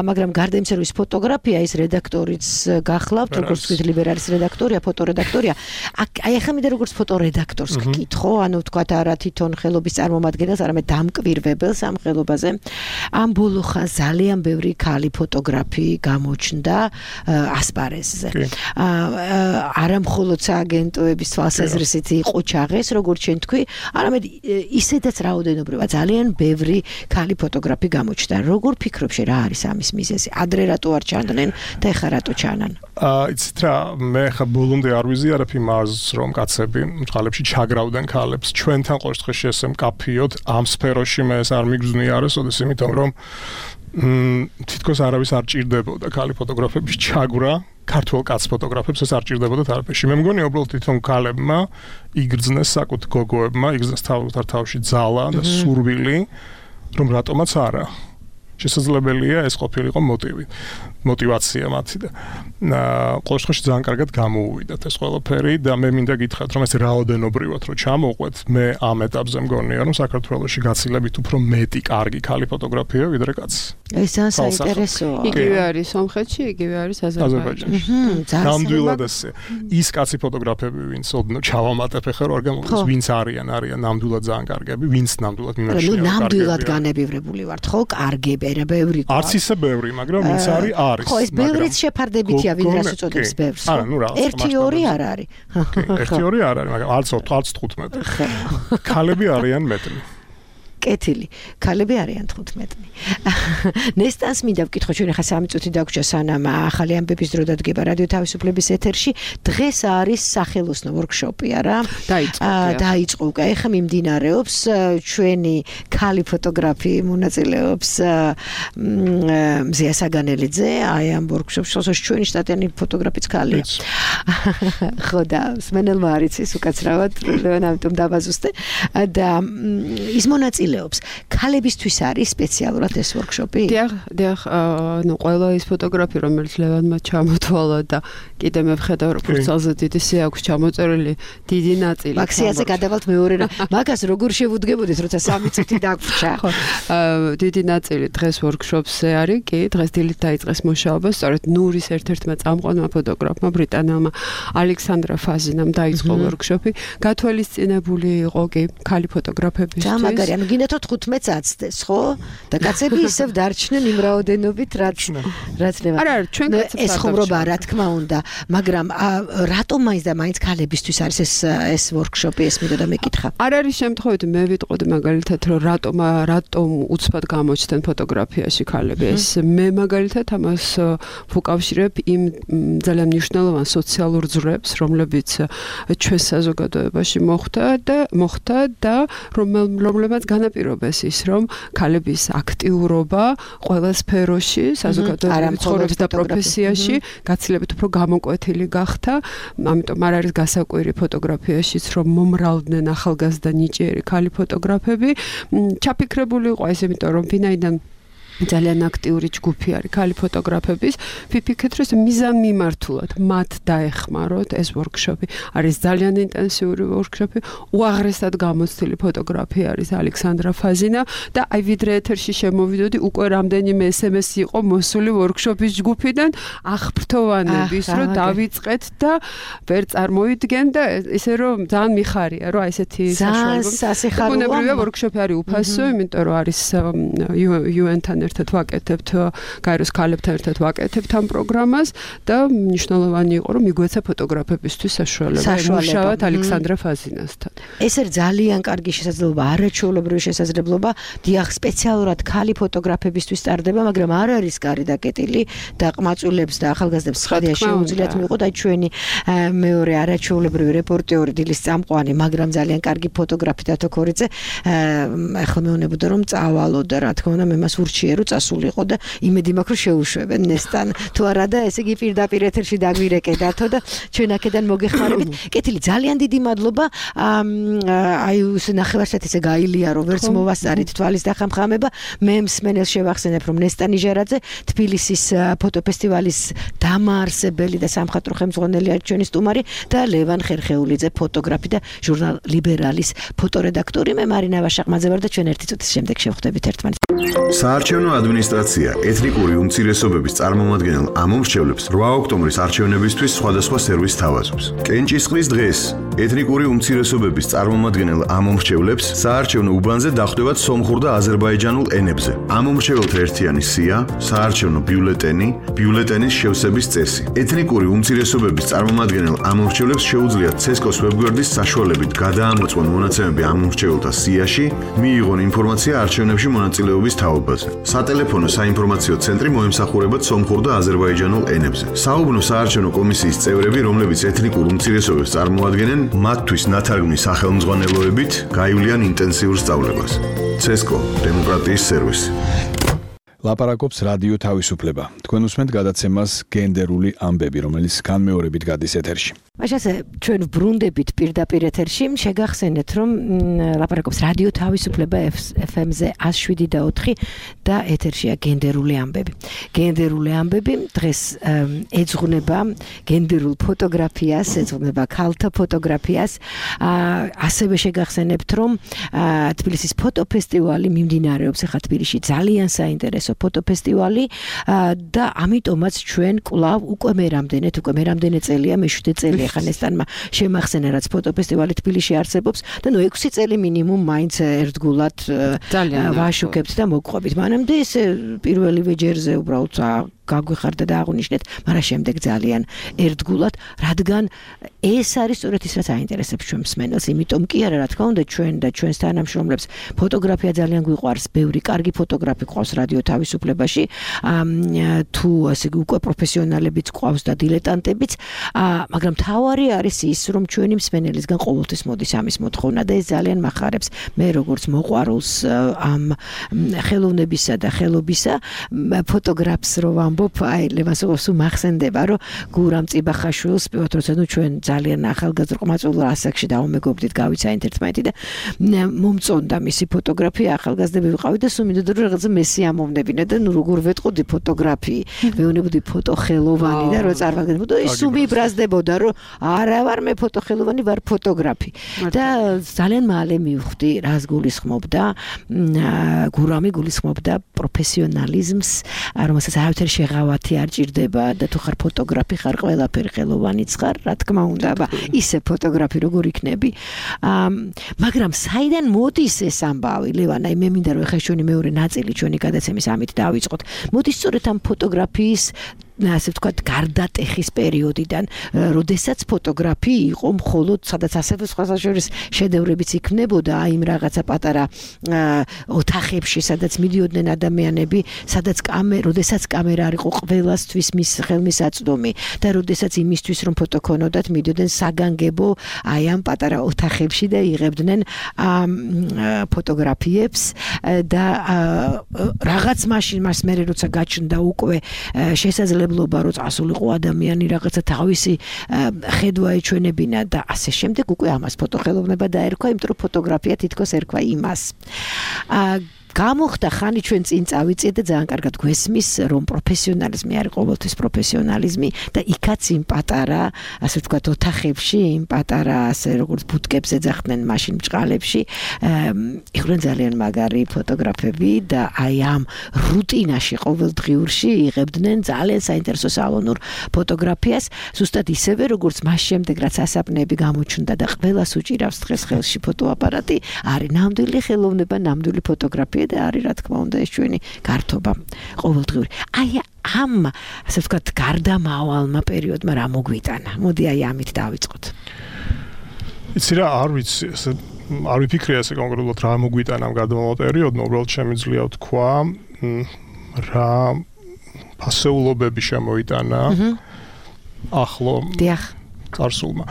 მაგრამ გარდა იმისა რომ ის ფოტოგრაფია ის რედაქტორიც გახლავთ როგორც თქვით ლიბერალის რედაქტორია ფოტორედაქტორია აი ახლა მინდა როგორც ფოტორედაქტორს გკითხო ანუ თქვათ არა თვითონ ხელობის წარმომადგენელს არამედ დამკვირვებელს ამ ხელობაზე ამ ბოლო ხანს ძალიან ბევრი ქალი ფოტოგრაფი გამოჩნდა ასპარეზზე არა მხოლოდ სააგენტოების თვალსაზრისით იყო ჩაღეს როგორც შენ თქვი არამედ ისედაც რაოდენობრივად ძალიან ბევრი ქალი ფოტოგრაფი გამოჩნდა როგორ ფიქრობ შე რა არის ამის მიზეზი ადრე რატო არ ჩანდნენ და ეხლა რატო ჩანან აა იცით რა მე ხა ბოლომდე არ ვიზიარებ იმას რომ კაცები ხალებში ჩაგრავდნენ ქალებს ჩვენთან ყოველ შემთხვევაში ესე მკაფიოდ ამ სფეროში მე ეს არ მიგზნია არასოდეს იმიტომ რომ თითქოს არავის არ ჭირდებოდა ქალი ფოტოგრაფების ჩაგვრა ქართულ კაც ფოტოგრაფებს ეს არ ჭირდებოდა თარფეში მე მგონია უბრალოდ თვითონ ქალებმა იგრძნეს საკუთ გოგოებმა იგრძნეს თავთან თავში ძალა და სურვილი რომ რატომაც არა შესაძლებელია ეს ყოფილიყო მოტივი мотивация მათი და ყოველ შემთხვევაში ძალიან კარგად გამოუვიდათ ეს ყველაფერი და მე მინდა გითხრათ რომ ეს რაოდენობრივად რომ ჩამოვყვეთ მე ამ ეტაპზე მგონია რომ საქართველოში გაცილებით უფრო მეტი კარგი ქალი ფოტოგრაფია ვიდრე კაცი ეს ძალიან საინტერესოა იგივე არის სომხეთში იგივე არის აზერბაიჯანში ნამდვილად ესე ის კაცი ფოტოგრაფები ვინც ოდნო ჩავამატებ ახლა რომ არ გამოგდეს ვინც არიან არიან ნამდვილად ძალიან კარგები ვინც ნამდვილად მიმაჩნია ნუ ნამდვილად განებივრებული ვართ ხო კარგები არა ბევრი არც ისე ბევრი მაგრამ ვინც არის არის ხო ეს ბევრიც შეფარდებითია ვინ რას უწოდებს ბევრს არა ნუ რაღაც ერთი ორი არ არის ერთი ორი არ არის მაგრამ არც არც თხუთმეტი ქალები არიან მეტრი კეთილი ქალები არიან თხუთმეტი ნესტანს მინდა ვკითხო ჩვენ ახლა სამი წუთი დაგვრჩა სანამ ახალი ამბების დრო დადგება რადიო თავისუფლების ეთერში დღეს არის სახელოსნო ვორქშოპი არა დაიწყო დაიწყო უკვე ახლა მიმდინარეობს ჩვენი ქალი ფოტოგრაფი მონაწილეობს მზია საგანელიძე აი ამ ვორქშოპში სულ ჩვენი შტატიანი ფოტოგრაფიც ქალია ხო და სმენელმა არიცის უკაცრავად ლევან ამიტომ დავაზუსტე და ის მონაწილე ქალებისთვის არის სპეციალურად ეს ვორქშოპი? დიახ, დიახ, ნუ ყველა ის ფოტოგრაფი, რომელიც ლევანმა ჩამოთვალა და კიდე მე ვხედავ, რომ ფურცალზე დიდი სი აქვს ჩამოწერილი დიდი ნაწილი. მაქსიაზე გადავალთ მეორე რა. მაგას როგორ შევუდგებოდეთ, როცა სამი წუთი დაგვრჩა? ხო, დიდი ნაწილი დღეს ვორქშოპზე არის, კი, დღეს დილით დაიწყეს მუშაობა, სწორედ ნურის ერთ-ერთმა წამყვანმა ფოტოგრაფმა, ბრიტანელმა ალექსანდრა ფაზინამ დაიწყო ვორქშოპი. გათვალისწინებული იყო კი ქალი ფოტოგრაფებისთვის. მაგარი, ანუ გინდათ თხუთმეტს აცდეს, ხო? და კაცები ისევ დარჩნენ იმ რაოდენობით, რაც რაც ნება. არა, ჩვენ კაცებს ეს ხუმრობა რა თქმა უნდა, მაგრამ რატომ მაინც და მაინც ქალებისთვის არის ეს ეს ვორქშოპი, ეს მინდოდა მეკითხა. არ არის შემთხვევით მე ვიტყოდი მაგალითად, რომ რატომ რატომ უცბად გამოჩნდნენ ფოტოგრაფიაში ქალები. ეს მე მაგალითად ამას ვუკავშირებ იმ ძალიან მნიშვნელოვან სოციალურ ძვრებს, რომლებიც ჩვენ საზოგადოებაში მოხდა და მოხდა და რომლებიც განაპირობეს ის, რომ ქალების აქტიურობა ყველა სფეროში, საზოგადოებრივ ცხოვრების და პროფესიაში გაცილებით უფრო გამოკვეთილი გახდა. ამიტომ არ არის გასაკვირი ფოტოგრაფიაშიც, რომ მომრავლდნენ ახალგაზრდა ნიჭიერი ქალი ფოტოგრაფები. ჩაფიქრებული იყო ეს, იმიტომ რომ ვინაიდან ძალიან აქტიური ჯგუფი არის ქალი ფოტოგრაფების, ვიფიქრეთ, რომ მიზან მიმართულად მათ დაეხმაროთ ეს ვორქშოპი. არის ძალიან ინტენსიური ვორქშოპი, უაღრესად გამოცდილი ფოტოგრაფი არის ალექსანდრა ფაზინა და აი ვიდრე ეთერში შემოვიდოდი, უკვე რამდენიმე ეს ემ ეს იყო მოსული ვორქშოპის ჯგუფიდან აღფრთოვანების, რომ დავიწყეთ და ვერ წარმოვიდგენ და ისე რომ ძალიან მიხარია, რომ აი ესეთი საშუალება. ბუნებრივია ვორქშოპი არის უფასო, იმიტომ რომ არის იუ εν-თან ერთად ვაკეთებთ, გაეროს ქალებთან ერთად ვაკეთებთ ამ პროგრამას და მნიშვნელოვანი იყო, რომ მიგვეცა ფოტოგრაფებისთვის საშუალება მუშაობთ ალექსანდრა ფაზინასთან. ეს არის ძალიან კარგი შესაძლებლობა, არაჩვეულებრივი შესაძლებლობა, დიახ, სპეციალურად ქალი ფოტოგრაფებისთვის ტარდება, მაგრამ არ არის კარი დაკეტილი და ყმაწვილებს და ახალგაზრდებს ცხადია შეუძლიათ მიიღოთ აი ჩვენი მეორე არაჩვეულებრივი რეპორტიორი დილის წამყვანი, მაგრამ ძალიან კარგი ფოტოგრაფი დათო ქორიძე, ახლა მეუბნებოდა რომ წავალო და რა თქმა უნდა მე მას ურჩიე რომ რომ წასულიყო და იმედი მაქვს რომ შეუშვებენ ნესტან თუ არა და ესე იგი პირდაპირ ეთერში დაგვირეკედათო და ჩვენ აქედან მოგეხმარებით. კეთილი, ძალიან დიდი მადლობა. აი ეს ნახევარსათი ესე გაილია რომ ვერც მოვასწარით თვალის დახამხამება. მე მსმენელს შევახსენებ რომ ნესტან ნიჟარაძე თბილისის ფოტოფესტივალის დამაარსებელი და სამხატვრო ხელმძღვანელი არის ჩვენი სტუმარი და ლევან ხერხეულიძე ფოტოგრაფი და ჟურნალ ლიბერალის ფოტორედაქტორი. მე მარინა ვაშაყმაძე ვარ და ჩვენ ერთი წუთის შემდეგ შევხვდებით ერთმანეთს. საარჩევნო ადმინისტრაცია ეთნიკური უმცირესობების წარმომადგენელ ამომრჩევლებს რვა ოქტომბრის არჩევნებისთვის სხვადასხვა სერვისს თავაზობს. კენჭისყრის დღეს ეთნიკური უმცირესობების წარმომადგენელ ამომრჩევლებს საარჩევნო უბანზე დახვდებათ სომხურ და აზერბაიჯანულ ენებზე. ამომრჩეველთა ერთიანი სია, საარჩევნო ბიულეტენი, ბიულეტენის შევსების წესი. ეთნიკური უმცირესობების წარმომადგენელ ამომრჩევლებს შეუძლიათ ცესკოს ვებგვერდის საშუალებით გადაამოწმონ მონაცემები ამომრჩეველთა სიაში, მიიღონ ინფორმაცია არჩევნებში მონაწილეობის თაობაზე. სატელეფონო საინფორმაციო ცენტრი მოემსახურებათ სომხურ და აზერბაიჯანულ ენებზე. საუბნო საარჩევნო კომისიის წევრები, რომლებიც ეთნიკურ უმცირესობებს წარმოადგენენ, მათთვის ნათარგმნის სახელმძღვანელოებით გაივლიან ინტენსიურ სწავლებას. ცესკო დემოკრატიის სერვისი. ლაპარაკობს რადიო თავისუფლება. თქვენ უსმენთ გადაცემას გენდერული ამბები, რომელიც განმეორებით გადის ეთერში. მაშასე ჩვენ ბრუნდებით პირდაპირ ეთერში, შეგახსენეთ რომ ლაპარაკობს რადიო თავისუფლება ეფ ემ-ზე εκατო შვიდი და ოთხი და ეთერშია გენდერული ამბები. გენდერული ამბები დღეს ეძღვნება გენდერულ ფოტოგრაფიას, ეძღვნება ქალთა ფოტოგრაფიას. ასევე შეგახსენებთ რომ თბილისის ფოტოფესტივალი მიმდინარეობს ახლა თბილისში, ძალიან საინტერესო ფოტოფესტივალი და ამიტომაც ჩვენ კვლავ უკვე მე რამდენად უკვე მე რამდენი წელია მეშვიდე წელია ხან ესტანმა შემახსენა რაც ფოტოფესტივალი თბილისში არსებობს და ნუ ექვსი წელი მინიმუმ მაინც ერთგულად ვაშუქებთ და მოგყვებით. მანამდე ეს პირველივე ჯერზე უბრალოდ გაგვიხარდა და აღვნიშნეთ, მაგრამ შემდეგ ძალიან ერთგულად, რადგან ეს არის სწორედ ის რაც აინტერესებს ჩვენ მსმენელს, იმიტომ კი არა, რა თქმა უნდა, ჩვენ და ჩვენს თანამშრომლებს ფოტოგრაფია ძალიან გვიყვარს, ბევრი კარგი ფოტოგრაფი ყავს რადიო თავისუფლებაში, თუ ასე უკვე პროფესიონალებიც ყავს და დილეტანტებიც, მაგრამ თავარი არის ის, რომ ჩვენი მსმენელისგან ყოველთვის მოდის ამის მოთხოვნა და ეს ძალიან მახარებს. მე როგორც მოყვარულს ამ ხელოვნებისა და ხელობისა, ფოტოგრაფს რო ვამბობ, აი ლევასოვს მახსენდება, რომ გურამ წიბახაშვილს, პირველად როცა ნუ ჩვენ ძალიან ახალგაზრდა ყმაწვილ ასაკში დავუმეგობრდით, გავიცანით ერთმანეთი და მომწონდა მისი ფოტოგრაფია, ახალგაზრდები ვიყავით და სულ მინდოდა რომ რაღაცა მესი ამოვნებინა და ნუ როგორ ვეტყოდი ფოტოგრაფიი, მეუნებოდი ფოტოხელოვანი და რო წარმოგიდგენთ, ის სულ მიბრაზდებოდა, რომ არა ვარ მე ფოტოხელოვანი, ვარ ფოტოგრაფი. და ძალიან მალე მივხვდი, რას გულისხმობდა, გურამი გულისხმობდა პროფესიონალიზმს, რომელსაც არავითარი შეღავათი არ ჭირდება და თუ ხარ ფოტოგრაფი ხარ ყველაფერი ხელოვანიც ხარ, რა თქმა უნდა, აბა ისე ფოტოგრაფი როგორ იქნები. მაგრამ საიდან მოდის ეს ამბავი, ლევან, აი მე მინდა რომ ეხლა ჩვენი მეორე ნაწილი ჩვენი გადაცემის ამით დავიწყოთ. მოდის სწორედ ამ ფოტოგრაფიის ასე ვთქვათ, გარდატეხის პერიოდიდან, როდესაც ფოტოგრაფი იყო მხოლოდ სადაც ასევე სხვათა შორის შედევრებიც იქნებოდა, აი იმ რაღაცა პატარა ოთახებში, სადაც მიდიოდნენ ადამიანები, სადაც კამერა, როდესაც კამერა არ იყო ყველასთვის მის ხელმისაწვდომი და როდესაც იმისთვის რომ ფოტო ქონოდათ, მიდიოდნენ საგანგებო აი ამ პატარა ოთახებში და იღებდნენ ფოტოგრაფიებს და რაღაც მაშინ მას მე როცა გაჩნდა უკვე შესაძლებლობა რომ წასულიყო ადამიანი რაღაცა თავისი ხედვა ეჩვენებინა და ასე შემდეგ უკვე ამას ფოტოხელოვნება დაერქვა, იმიტომ რომ ფოტოგრაფია თითქოს ერქვა იმას. გამოხდა ხანი ჩვენ წინ წავიწიეთ და ძალიან კარგად გვესმის, რომ პროფესიონალიზმი არის ყოველთვის პროფესიონალიზმი და იქაც იმ პატარა, ასე ვთქვათ, ოთახებში, იმ პატარა, ასე როგორც ბუტკებს ეძახდნენ მაშინ ბჭყალებში, იყვნენ ძალიან მაგარი ფოტოგრაფები და აი ამ რუტინაში ყოველდღიურში იღებდნენ ძალიან საინტერესო სალონურ ფოტოგრაფიას, ზუსტად ისევე, როგორც მას შემდეგ, რაც ასაპნები გამოჩნდა და ყველას უჭირავს დღეს ხელში ფოტოაპარატი, არის ნამდვილი ხელოვნება, ნამდვილი ფოტოგრაფია და არის რა თქმა უნდა ეს ჩვენი გართობა ყოველდღიური. აი ამ ასე ვთქვათ გარდამავალმა პერიოდმა რა მოგვიტანა? მოდი აი ამით დავიწყოთ. იცი რა, არ ვიცი, ესე არ ვიფიქრე ასე კონკრეტულად რა მოგვიტანა ამ გარდამავალ პერიოდმა, უბრალოდ შემიძლია ვთქვა რა ფასეულობები შემოიტანა ახლო წარსულმა.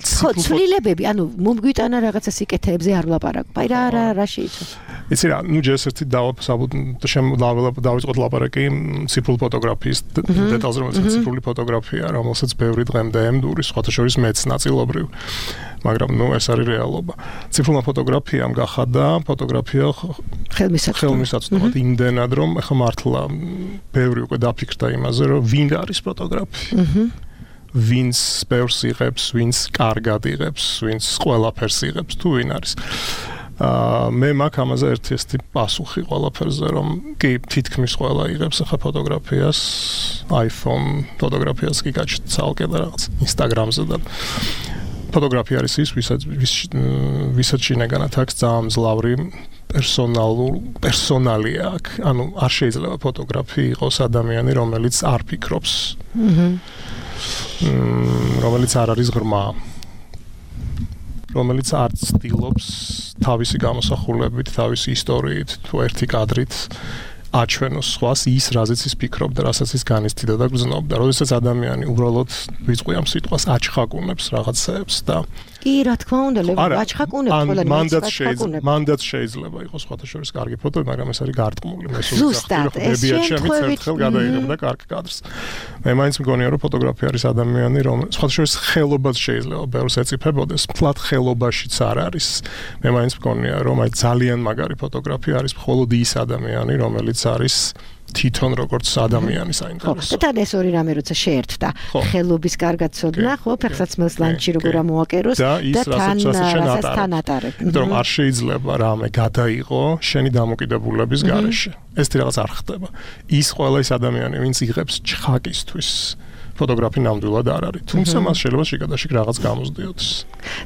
ხო, ცვლილებები, ანუ მომგვიტანა რაღაცა სიკეთეებზე არ ვლაპარაკობ. აი რა რა რა შეიცვალა? იცი რა, ნუ ჯერსერთი დავაბსაბუთ დავიწყოთ ლაპარაკი ციფრული ფოტოგრაფიის დეტალზე, რომელსაც ციფრული ფოტოგრაფია, რომელსაც ბევრი დღემდე ემდურის, სხვათა შორის მეც ნაწილობრივ. მაგრამ ნუ ეს არის რეალობა. ციფრულმა ფოტოგრაფიამ გახადა ფოტოგრაფია ხელმისაწვდომად იმდენად, რომ ახლა მართლა ბევრი უკვე დაფიქრდა იმაზე, რომ ვინ არის ფოტოგრაფი. ვინც ბევრს იღებს, ვინც კარგად იღებს, ვინც ყველაფერს იღებს, თუ ვინ არის. აა მე მაქვს ამაზე ერთი ესეთი პასუხი ყველაფერზე, რომ კი თითქმის ყველა იღებს ახლა ფოტოგრაფიას, iPhone ფოტოგრაფიას კი გაჩნდა ცალკე და რაღაც Instagram-ზე და ფოტოგრაფია არის ის, ვისაც ვისაც შინაგანად აქვს ძალიან მძლავრი პერსონალურ პერსონალი აქვს. ანუ არ შეიძლება ფოტოგრაფი იყოს ადამიანი, რომელიც არ ფიქრობს. აჰა. რომელიც არ არის ღრმა. რომელიც არ ცდილობს თავისი გამოსახულებით, თავისი ისტორიით, თუ ერთი კადრით აჩვენოს სხვას ის, რაზეც ის ფიქრობდა, რასაც ის განიცდიდა და გრძნობდა. როდესაც ადამიანი უბრალოდ ვიწყი ამ სიტყვას აჩხაკუნებს რაღაცებს და კი, რა თქმა უნდა, აჩხაკუნებს ყველა მანდაც შეიძლება, მანდაც შეიძლება იყოს სხვათა შორის კარგი ფოტო, მაგრამ ეს არის გარტყმული. მე სულ ზუსტად, ეს შემთხვევით გადაიღებდა კარგ კადრს. მე მაინც მგონია, რომ ფოტოგრაფია არის ადამიანი, რომ სხვათა შორის ხელობას შეიძლება ბევრს ეწიფებოდეს, მთლად ხელობაშიც არ არის. მე მაინც მგონია, რომ აი ძალიან მაგარი ფოტოგრაფი არის მხოლოდ ის ადამიანი, რომელიც არის თვითონ როგორც ადამიანი საინტერესო. ხო, და ეს ორი რამე როცა შეერთდა, ხელობის კარგად ცოდნა, ხო, ფეხსაცმელს ლანჩი როგორ ამოაკეროს და თან თან ატარებ. იმიტომ რომ არ შეიძლება რამე გადაიღო შენი დამოკიდებულების გარეშე. ეს რაღაც არ ხდება. ის ყველა ის ადამიანი, ვინც იღებს ჩხაკისთვის ფოტოგრაფი ნამდვილად არ არის. თუმცა მას შეიძლება შიგადაშიგ რაღაც გამოსდიოდეს.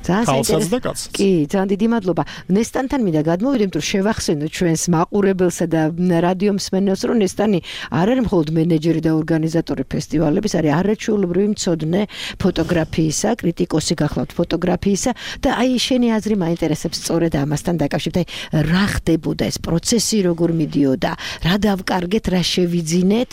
ძალიან საინტერესო. კი, ძალიან დიდი მადლობა. ნესტანთან მინდა გადმოვიდე, რომ შევახსენოთ ჩვენს მაყურებელსა და რადიო მსმენელს, რომ ნესტანი არ არის მხოლოდ მენეჯერი და ორგანიზატორი ფესტივალების, არის არაჩვეულებრივი მცოდნე ფოტოგრაფიისა, კრიტიკოსი გახლავთ ფოტოგრაფიისა და აი შენი აზრი მაინტერესებს სწორედ ამასთან დაკავშირებით. აი რა ხდებოდა ეს პროცესი, როგორ მიდიოდა, რა დავკარგეთ, რა შევიძინეთ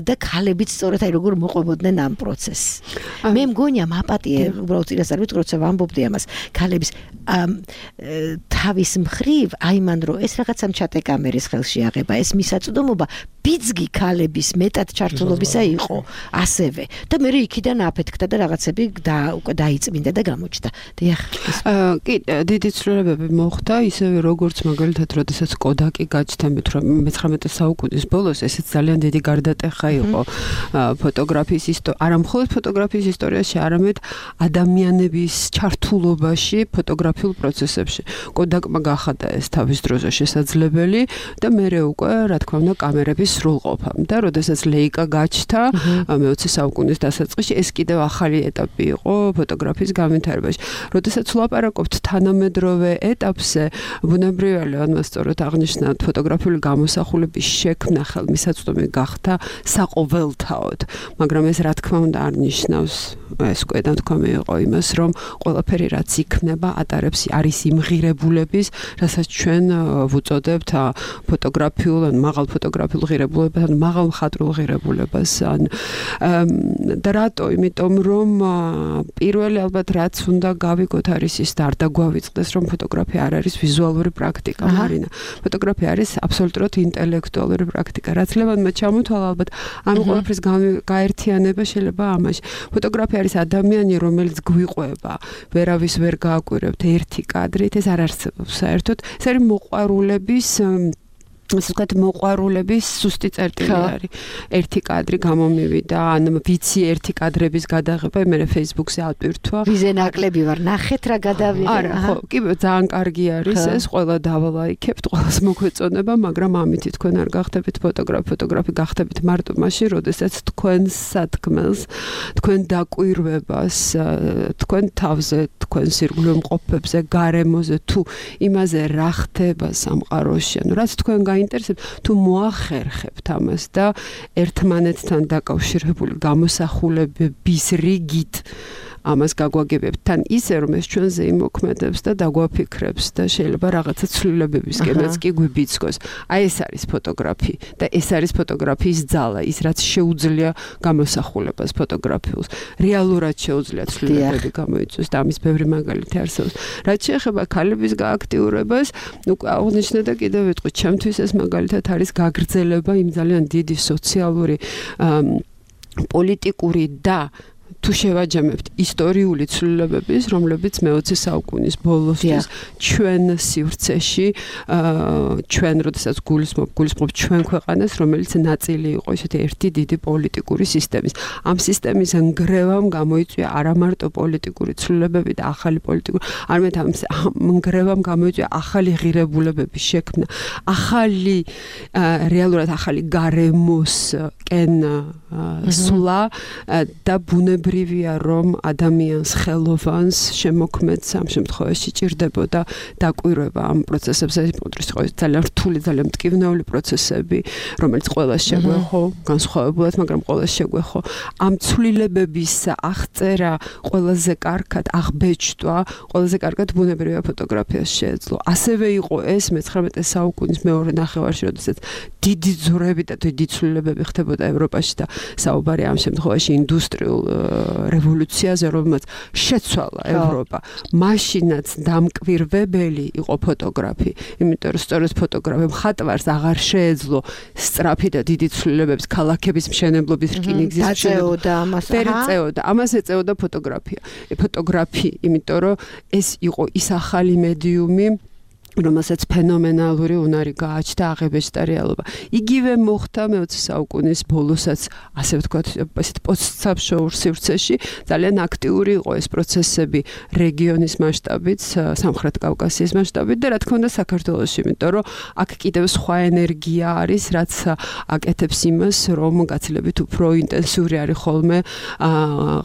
და ქალებიც სწორედ აი როგორ მოყვებოდნენ ამ პროცესს. მე მგონია მაპატიე უბრალოდ წინასწარ ვიტყვი, როცა ვამბობდი ამას, ქალების თავის მხრივ აიმან რომ ეს რაღაცა ჩატე კამერის ხელში აღება, ეს მისაწვდომობა ბიძგი ქალების მეტად ჩართულობისა იყო ასევე და მე იქიდან აფეთქდა და რაღაცები და უკვე დაიწმინდა და გამოჩნდა. დიახ. კი, დიდი ცვლილებები მოხდა, ისევე როგორც მაგალითად, როდესაც კოდაკი გაჩნდა მეცხრამეტე საუკუნის ბოლოს, ესეც ძალიან დიდი გარდატეხა იყო ფოტოგრაფიის ისტორია, არა მხოლოდ ფოტოგრაფიის ისტორიაში, არამედ ადამიანების ჩართულობაში ფოტოგრაფიულ პროცესებში. კოდაკმა გახადა ეს თავის დროზე შესაძლებელი და მერე უკვე, რა თქმა უნდა, კამერების სრულყოფა. და როდესაც ლეიკა გაჩნდა მეოცე საუკუნის დასაწყისში, ეს კიდევ ახალი ეტაპი იყო ფოტოგრაფიის განვითარებაში. როდესაც ვლაპარაკობთ თანამედროვე ეტაპზე, ბუნებრივია, ანუ სწორად აღნიშნავთ, ფოტოგრაფიული გამოსახულების შექმნა ხელმისაწვდომი გახდა საყოველთაოდ, მაგრამ ეს რა თქმა უნდა არ ნიშნავს, ეს უკვე დათქვამი იყო იმას, რომ ყველაფერი რაც იქნება, ატარებს არის იმღირებულების, რასაც ჩვენ ვუწოდებთ ფოტოგრაფიულ, ან მაღალ ფოტოგრაფიულ ღირებულებას, ან მაღალ მხატვრულ ღირებულებას, ან და რატო? იმიტომ რომ პირველი ალბათ რაც უნდა გავიგოთ არის ის და არ დაგვავიწყდეს, რომ ფოტოგრაფია არ არის ვიზუალური პრაქტიკა, მარინა. ფოტოგრაფია არის აბსოლუტურად ინტელექტუალური პრაქტიკა. რაც ლებადმა ჩამოთვალა ალბათ ამ ყველაფრის გაერთიანება შეიძლება ამაში. ფოტოგრაფია არის ადამიანი, რომელიც გვიყვება, ვერავის ვერ გააკვირებთ ერთი კადრით, ეს არ არსებობს საერთოდ. ეს არის მოყვარულების ასე ვთქვათ, მოყვარულების სუსტი წერტილი არის. ერთი კადრი გამომივიდა, ან ვიცი ერთი კადრების გადაღება, მე Facebook-ზე ატვირთვა. ვიზე ნაკლები ვარ, ნახეთ რა გადავიღე. არა, ხო, კი, ძალიან კარგი არის ეს, ყველა დავალაიქებთ, ყველას მოგვეწონება, მაგრამ ამითი თქვენ არ გახდებით ფოტოგრაფი, ფოტოგრაფი გახდებით მარტო მაშინ, როდესაც თქვენ სათქმელს, თქვენ დაკვირვებას, თქვენ თავზე, თქვენ სირგულე მყოფებზე, გარემოზე, თუ იმაზე რა ხდება სამყაროში, ანუ რაც თქვენ გაინტერესებთ, თუ მოახერხებთ ამას და ერთმანეთთან დაკავშირებული გამოსახულებების რიგით ამას გაგვაგებებთ თან ისე რომ ეს ჩვენზე იმოქმედებს და დაგვაფიქრებს და შეიძლება რაღაცა ცვლილებებისკენაც კი გვიბიძგოს. აი ეს არის ფოტოგრაფი და ეს არის ფოტოგრაფიის ძალა, ის რაც შეუძლია გამოსახულებას ფოტოგრაფიულს. რეალურად შეუძლია ცვლილებები გამოიწვიოს და ამის ბევრი მაგალითი არსებობს. რაც შეეხება ქალების გააქტიურებას, უკვე აღნიშნე და კიდევ ვიტყვი, ჩემთვის ეს მაგალითად არის გაგრძელება იმ ძალიან დიდი სოციალური პოლიტიკური და თუ შევაჯამებთ ისტორიული ცვლილებების, რომლებიც მეოცე საუკუნის ბოლოსთვის ჩვენ სივრცეში, ჩვენ როდესაც გულისხმობ, გულისხმობ ჩვენ ქვეყანას, რომელიც ნაწილი იყო ესეთი ერთი დიდი პოლიტიკური სისტემის. ამ სისტემის ნგრევამ გამოიწვია არა მარტო პოლიტიკური ცვლილებები და ახალი პოლიტიკური, არამედ ამ ნგრევამ გამოიწვია ახალი ღირებულებების შექმნა, ახალი რეალურად ახალი გარემოს კენ სულა და ბუნებრივია რომ ადამიანს ხელოვანს შემოქმედს ამ შემთხვევაში ჭირდებოდა დაკვირვება ამ პროცესებზე პოდრის ხო ძალიან რთული ძალიან მტკივნეული პროცესები რომელიც ყველას შეგვეხო განსხვავებულად მაგრამ ყველას შეგვეხო ამ ცვლილებების აღწერა ყველაზე კარგად აღბეჭდვა ყველაზე კარგად ბუნებრივია ფოტოგრაფიას შეეძლო ასევე იყო ეს მეცხრამეტე საუკუნის მეორე ნახევარში როდესაც დიდი ძვრები და დიდი ცვლილებები ხდებოდა ევროპაში და საუბარი ამ შემთხვევაში ინდუსტრიულ რევოლუციაზე, რომელმაც შეცვალა ევროპა. მაშინაც დამკვირვებელი იყო ფოტოგრაფი, იმიტომ რომ სწორედ ფოტოგრაფი მხატვარს აღარ შეეძლო სწრაფი და დიდი ცვლილებებს ქალაქების მშენებლობის რკინიგზის შეეძლო ამას. პერიწეოდა, ამას ეწეოდა ფოტოგრაფია. ფოტოგრაფი, იმიტომ რომ ეს იყო ის ახალი მედიუმი რომელსაც ფენომენალური უნარი გააჩნდა აღებეჭდა რეალობა. იგივე მოხდა მეოცე საუკუნის ბოლოსაც, ასე ვთქვათ, ესეთ პოსტსაბშოურ სივრცეში ძალიან აქტიური იყო ეს პროცესები რეგიონის მასშტაბით, სამხრეთ კავკასიის მასშტაბით და რა თქმა უნდა საქართველოში, იმიტომ რომ აქ კიდევ სხვა ენერგია არის, რაც აკეთებს იმას, რომ გაცილებით უფრო ინტენსიური არის ხოლმე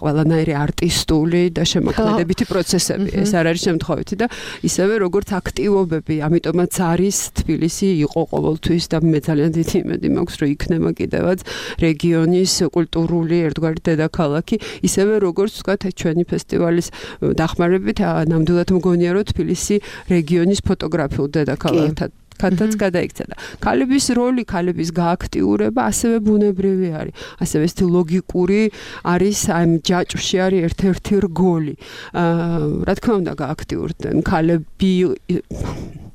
ყველანაირი არტისტული და შემოქმედებითი პროცესები. ეს არ არის შემთხვევითი და ისევე როგორც აქტივობები ამიტომაც არის თბილისი იყო ყოველთვის და მე ძალიან დიდი იმედი მაქვს რომ იქნება კიდევაც რეგიონის კულტურული ერთგვარი დედაქალაქი ისევე როგორც ვთქვათ ჩვენი ფესტივალის დახმარებით ნამდვილად მგონია რომ თბილისი რეგიონის ფოტოგრაფიულ დედაქალაქად კატაც გადაიქცა და ქალების როლი, ქალების გააქტიურება ასევე ბუნებრივი არის. ასევე ეს ლოგიკური არის ამ ჯაჭვში არის ერთ-ერთი რგოლი. აა რა თქმა უნდა გააქტიურდნენ ქალები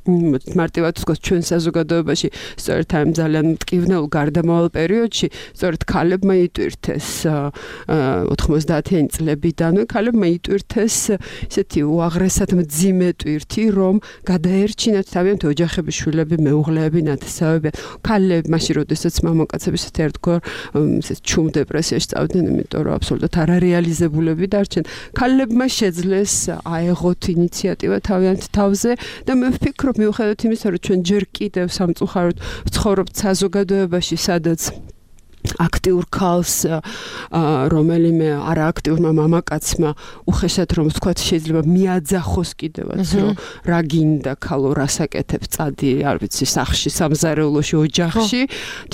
მარტივად ვთქვათ ჩვენ საზოგადოებაში სწორედ ამ ძალიან მტკივნეულ გარდამავალ პერიოდში სწორედ ქალებმა იტვირთეს ოთხმოცდაათიანი წლებიდანვე ქალებმა იტვირთეს ისეთი უაღრესად მძიმე ტვირთი რომ გადაერჩინათ თავიანთი ოჯახების შვილები მეუღლეები ნათესავები ქალები მაშინ როდესაც მამაკაცები ისეთ ერთგვარ ისეთ ჩუმ დეპრესიაში წავიდნენ იმიტომ რომ აბსოლუტურად არარეალიზებულები დარჩნენ ქალებმა შეძლეს აეღოთ ინიციატივა თავიანთ თავზე და მე ვფიქრობ მიუხედავად იმისა, რომ ჩვენ ჯერ კიდევ სამწუხაროდ ვცხოვრობთ საზოგადოებაში, სადაც აქტიურ ქალს რომელიმე არააქტიურმა მამაკაცმა უხეშად რომ ვთქვათ შეიძლება მიაძახოს კიდევაც რომ რა გინდა ქალო რას აკეთებ წადი არ ვიცი სახში სამზარეულოში ოჯახში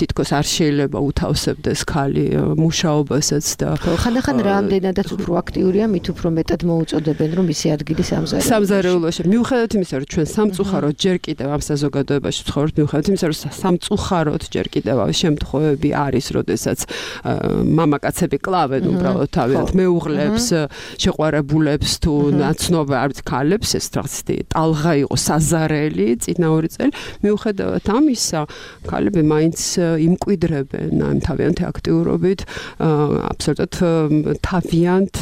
თითქოს არ შეიძლება უთავსებდეს ქალი მუშაობასაც და ხანდახან რამდენადაც უფრო აქტიურია მით უფრო მეტად მოუწოდებენ რომ მისი ადგილი სამზარეულოში სამზარეულოში მიუხედავად იმისა რომ ჩვენ სამწუხაროდ ჯერ კიდევ ამ საზოგადოებაში ვცხოვრობთ მიუხედავად იმისა რომ სამწუხაროდ ჯერ კიდევ შემთხვევები არის როდესაც მამაკაცები კლავენ უბრალოდ თავიანთ მეუღლებს, შეყვარებულებს თუ ნაცნობ არ ვიცი ქალებს, ეს რაღაცა ტალღა იყო საზარელი წინა ორი წელი. მიუხედავად ამისა, ქალები მაინც იმკვიდრებენ ამ თავიანთი აქტიურობით, აბსოლუტურად თავიანთ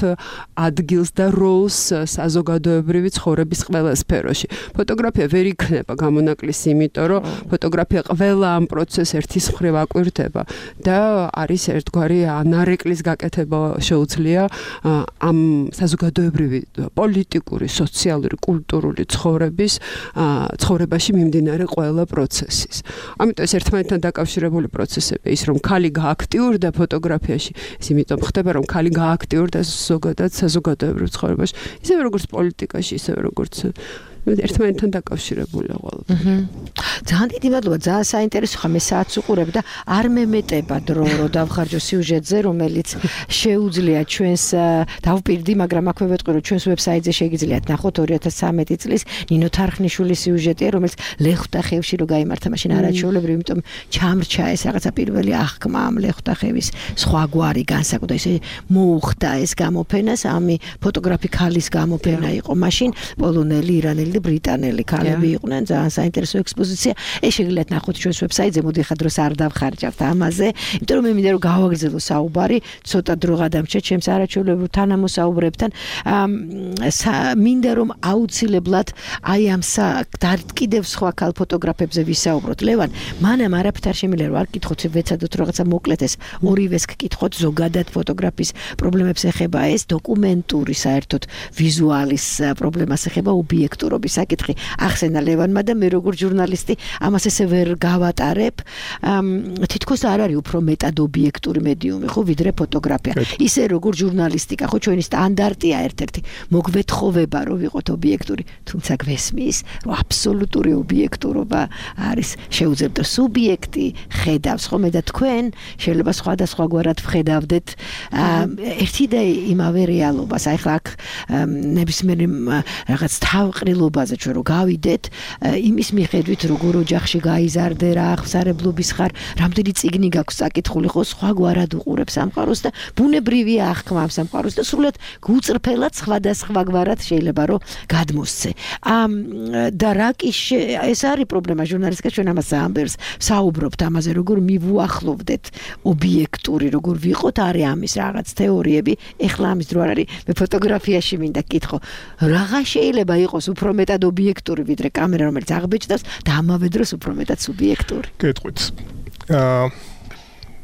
ადგილს და როლს საზოგადოებრივი ცხოვრების ყველა სფეროში. ფოტოგრაფია ვერ იქნება გამონაკლისი, იმიტომ რომ ფოტოგრაფია ყველა ამ პროცესს ერთის მხრივ აკვირდება და არის ერთგვარი ანარეკლის გაკეთება შეუძლია ამ საზოგადოებრივი პოლიტიკური, სოციალური, კულტურული ცხოვრების ცხოვრებაში მიმდინარე ყველა პროცესის. ამიტომ ეს ერთმანეთთან დაკავშირებული პროცესები ის რომ ქალი გააქტიურდა ფოტოგრაფიაში, ის იმიტომ ხდება რომ ქალი გააქტიურდა ზოგადად საზოგადოებრივ ცხოვრებაში, ისევე როგორც პოლიტიკაში, ისევე როგორც ერთმანეთთან დაკავშირებულია ყველაფერი. ძალიან დიდი მადლობა, ძალიან საინტერესო ხა მე საათს უყურებ და არ მემეტება დრო რო დავხარჯო სიუჟეტზე, რომელიც შეუძლია ჩვენს დავპირდი, მაგრამ აქვე ვეტყვი რომ ჩვენს ვებსაიტზე შეგიძლიათ ნახოთ ორი ათას ცხრამეტი წლის ნინო თარხნიშვილის სიუჟეტია, რომელიც ლეხტახევში რო გაიმართა, მაშინ არაჩვეულებრივი, იმიტომ ჩამრჩა ეს რაღაცა პირველი აღქმა ამ ლეხტახევის სხვა გვარი განსაკუთრებით ესე მოუხდა ეს გამოფენა, სამი ფოტოგრაფი ქალის გამოფენა იყო მაშინ, პოლონელი, ირანელი და ბრიტანელი ქალები იყვნენ, ძალიან საინტერესო ექსპოზიცია. ეს შეგიძლიათ ნახოთ ჩვენს ვებსაიტზე, მოდი ხა დროს არ დავხარჯავთ ამაზე, იმიტომ რომ მე მინდა რომ გავაგრძელო საუბარი, ცოტა დრო გადამჭა ჩემს არაჩვეულებრივ თანამოსაუბრებთან. მინდა რომ აუცილებლად აი ამ კიდევ სხვა ქალ ფოტოგრაფებზე ვისაუბროთ. ლევან, მანამ არაფერ არ შემიძლია რომ არ გკითხოთ, ვეცადოთ რაღაცა მოკლედ ეს ორივეს გკითხოთ, ზოგადად ფოტოგრაფის პრობლემებს ეხება ეს, დოკუმენტური საერთოდ ვიზუალის პრობლემას ეხება, ობიექტურობის საკითხი. ახსენა ლევანმა და მე როგორ ჟურნალისტი ამას ესე ვერ გავატარებ. თითქოს არ არის უფრო მეტად ობიექტური მედიუმი, ხო, ვიდრე ფოტოგრაფია. ისე როგორ ჟურნალისტიკა, ხო, ჩვენი სტანდარტია ერთ-ერთი, მოგვეთხოვება რომ ვიყოთ ობიექტური, თუმცა გვესმის, რომ აბსოლუტური ობიექტურობა არის შეუძლებელი სუბიექტი ხედავს, ხო, მე და თქვენ შეიძლება სხვადასხვაგვარად ვხედავდეთ ერთი და იმავე რეალობას. აი ხლა აქ ნებისმიერ რაღაც თავყრილობაზე ჩვენ რო გავიდეთ, იმის მიხედვით როგორ ოჯახში გაიზარდე, რა აღსარებლობის ხარ, რამდენი წიგნი გაქვს საკითხული, ხო, სხვაგვარად უყურებს სამყაროს და ბუნებრივია აღქმა ამ სამყაროს და სრულად გუწრფელად სხვადასხვაგვარად შეიძლება რომ გადმოსცე. და რა კი ეს არის პრობლემა ჟურნალისტიკა, ჩვენ ამას ამბერს საუბრობთ ამაზე, როგორ მივუახლოვდეთ ობიექტური, როგორ ვიყოთ, არის ამის რაღაც თეორიები. ეხლა ამის დრო არ არის, მე ფოტოგრაფიაში მინდა გკითხო, რაღა შეიძლება იყოს უფრო მეტად ობიექტური ვიდრე კამერა, რომელიც აღბეჭდავს და ამავე დროს უფრო მეტად სუბიექტური. გეტყვით. აა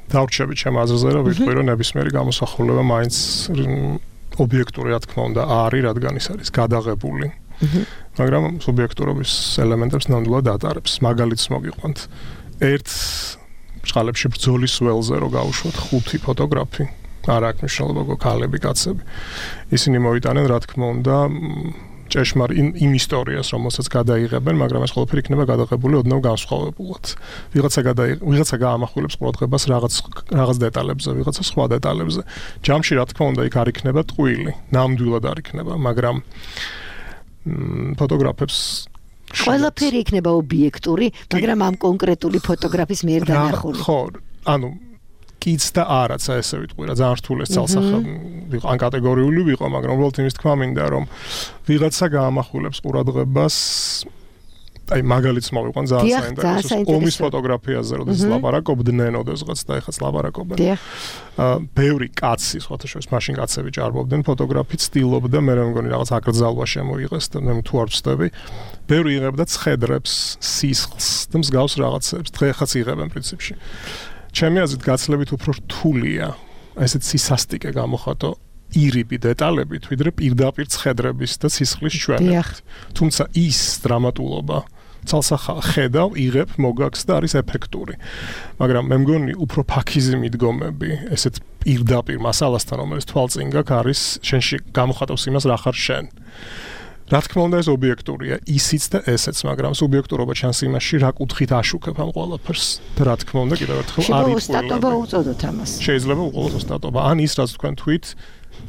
დავრჩები ჩემ აზრზე, რომ ვიტყვი, რომ ნებისმიერი გამოსახულება მაინც ობიექტური, რა თქმა უნდა, არის, რადგან ის არის გადაღებული. მაგრამ სუბიექტურობის ელემენტებს ნამდვილად ატარებს. მაგალითს მოგიყვანთ. ერთ ჭყალებში ბრძოლის ველზე რო გავუშვათ ხუთი ფოტოგრაფი, არ აქვს მნიშვნელობა ქალები, კაცები. ისინი მოიტანენ, რა თქმა უნდა, ჭეშმარ იმ ისტორიას, რომელსაც გადაიღებენ, მაგრამ ეს ყველაფერი იქნება გადაღებული ოდნავ განსხვავებულად. ვიღაცა გადაიღ, ვიღაცა გაამახვილებს ყურადღებას რაღაც რაღაც დეტალებზე, ვიღაცა სხვა დეტალებზე. ჯამში, რა თქმა უნდა, იქ არ იქნება ტყუილი, ნამდვილად არ იქნება, მაგრამ ფოტოგრაფებს ყველაფერი იქნება ობიექტური, მაგრამ ამ კონკრეტული ფოტოგრაფის მიერ დანახული. ხო, ანუ კიც და არაცა ესე ვიტყვი რა, ძალიან რთულეს ძალსახა ვიყო, ან კატეგორიული ვიყო, მაგრამ უბრალოდ იმის თქმა მინდა რომ ვიღაცა გაამახვილებს ყურადღებას, აი მაგალითს მოვიყვან ძალიან საინტერესო ომის ფოტოგრაფიაზე, როდესაც ლაპარაკობდნენ, ოდესღაც და ეხაც ლაპარაკობენ. აა ბევრი კაცი, სხვათა შორის მაშინ კაცები ჭარბობდნენ, ფოტოგრაფი ცდილობდა, მე მგონი რაღაც აკრძალვა შემოიღეს და მე თუ არ ვწდები. ბევრი იღებდა ცხედრებს, სისხლს და მსგავს რაღაცებს, დღეახაც იღებენ პრინციპში. ჩემი აზრით გაცლებით უფრო რთულია ესეთ სისასტიკე გამოხატო ირიბი დეტალებით, ვიდრე პირდაპირ ცხედრების და სისხლის ჩვენებით. თუმცა ის დრამატულობა ცალსახა ხედავ, იღებ, მოგაქს და არის ეფექტური. მაგრამ მე მგონი უფრო ფაქიზი მიდგომები, ესეთ პირდაპირ მასალასთან, რომელიც თვალწინ გაქვს, არის შენში გამოხატავს იმას, რა ხარ შენ. რა თქმა უნდა ეს ობიექტურია, ისიც და ესეც, მაგრამ სუბიექტურობა ჩანს იმაში, რა კუთხით აშუქებ ამ ყველაფერს. და რა თქმა უნდა, კიდევ ერთხელ არის ოსტატობა უწოდოთ ამას. შეიძლება უყოლოს ოსტატობა. ან ის რაც თქვენ თვით,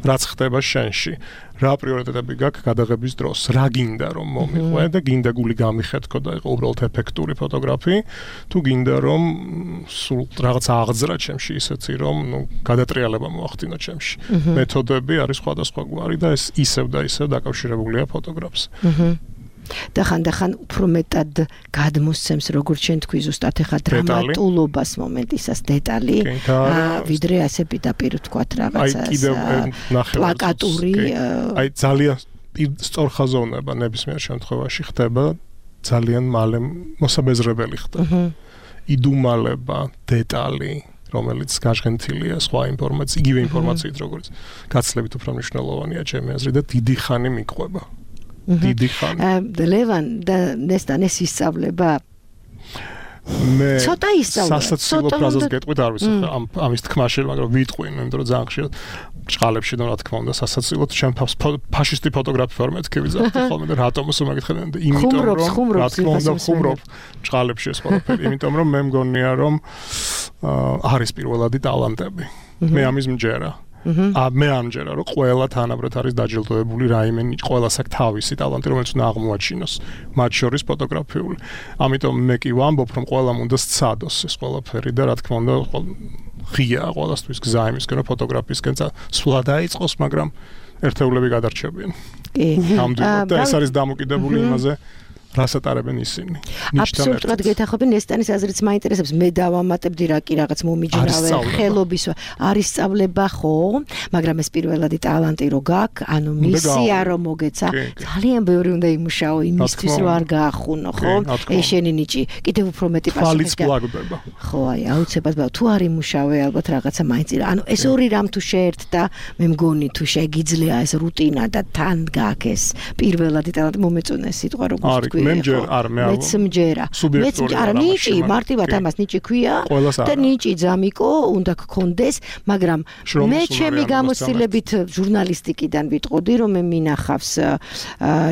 რაც ხდება შენში. რა პრიორიტეტები გაქვს გადაღების დროს, რა გინდა რომ მომიყვე და გინდა გული გამიხეთქო და იყო უბრალოდ ეფექტური ფოტოგრაფი, თუ გინდა რომ სულ რაღაც აღძრა ჩემში ისეთი რომ, ნუ გადატრიალება მოახდინო ჩემში. მეთოდები არის სხვადასხვაგვარი და ეს ისევ და ისევ დაკავშირებულია ფოტოგრაფს. და ხანდახან უფრო მეტად გადმოსცემს, როგორც შენ თქვი ზუსტად ეხა დრამატულობას მომენტისას დეტალი, ვიდრე ასე პირდაპირ ვთქვათ რაღაცას პლაკატური. აი ძალიან სწორხაზოვნება ნებისმიერ შემთხვევაში ხდება ძალიან მალე მოსაბეზრებელი ხდება. იდუმალება დეტალი, რომელიც გაჟღენთილია სხვა ინფორმაციით, იგივე ინფორმაციით, როგორც გაცლებით უფრო მნიშვნელოვანია ჩემი აზრით და დიდი ხანი მიყვება. დიდი ხანი. ლევან და ნესტან ეს ისწავლება. მე ცოტა ისწავლება. სასაცილო ფრაზას გეტყვით, არ ვიცი ამ ამის თქმაში, მაგრამ ვიტყვი, იმიტომ რომ ძალიან ხშირად ჭყალებში და რა თქმა უნდა სასაცილოდ ჩემ თავს ფაშისტი ფოტოგრაფი ვარ მეთქი ვიზახდი ხოლმე და რატომს უმაგითხებიან და იმიტომ რომ რა თქმა უნდა ხუმრობ ჭყალებში ეს ყველაფერი იმიტომ რომ მე მგონია რომ არის პირველადი ტალანტები მე ამის მჯერა ა მე ამჯერა რომ ყველა თანაბრად არის დაჯილდოებული რაიმე ყველას აქვს თავისი ტალანტი რომელიც უნდა აღმოაჩინოს მათ შორის ფოტოგრაფიული ამიტომ მე კი ვამბობ რომ ყველამ უნდა სცადოს ეს ყველაფერი და რა თქმა უნდა ღია ყველასთვის გზა იმისკენ რომ ფოტოგრაფიისკენ სვლა დაიწყოს მაგრამ ერთეულები გადარჩებიან კი ამდენად და ეს არის დამოკიდებული იმაზე რასატარებენ ისინი. აბსოლუტურად გეთახობი ნესტანის აზრიც მაინტერესებს. მე დავამატებდი რა კი რაღაც მომიჯნავე ხელობის არის სწავლება ხო, მაგრამ ეს პირველადი ტალანტი რო გაქვს, ანუ მისია რომ მოგეცა, ძალიან ბევრი უნდა იმუშაო იმისთვის რომ არ გაახუნო, ხო? ეშენი ნიჭი, კიდევ უფრო მეტი პასუხი. ხო, აი, აუცილებლად თუ არ იმუშავე, ალბათ რაღაცა მაინც. ანუ ეს ორი რამ თუ შეერთდა, მე მგონი თუ შეგიძლია ეს რუტინა და თან გაქვს ეს პირველადი ტალანტი მომეწონა ეს სიტყვა როგორც თქვი. მე მჯერ არ მე მეც მჯერა მეც არა ნიჭი მარტივად ამას ნიჭი ქვია და ნიჭი ძამიკო უნდა გქონდეს მაგრამ მე ჩემი გამოცდილებით ჟურნალისტიკიდან ვიტყოდი რომ მე მინახავს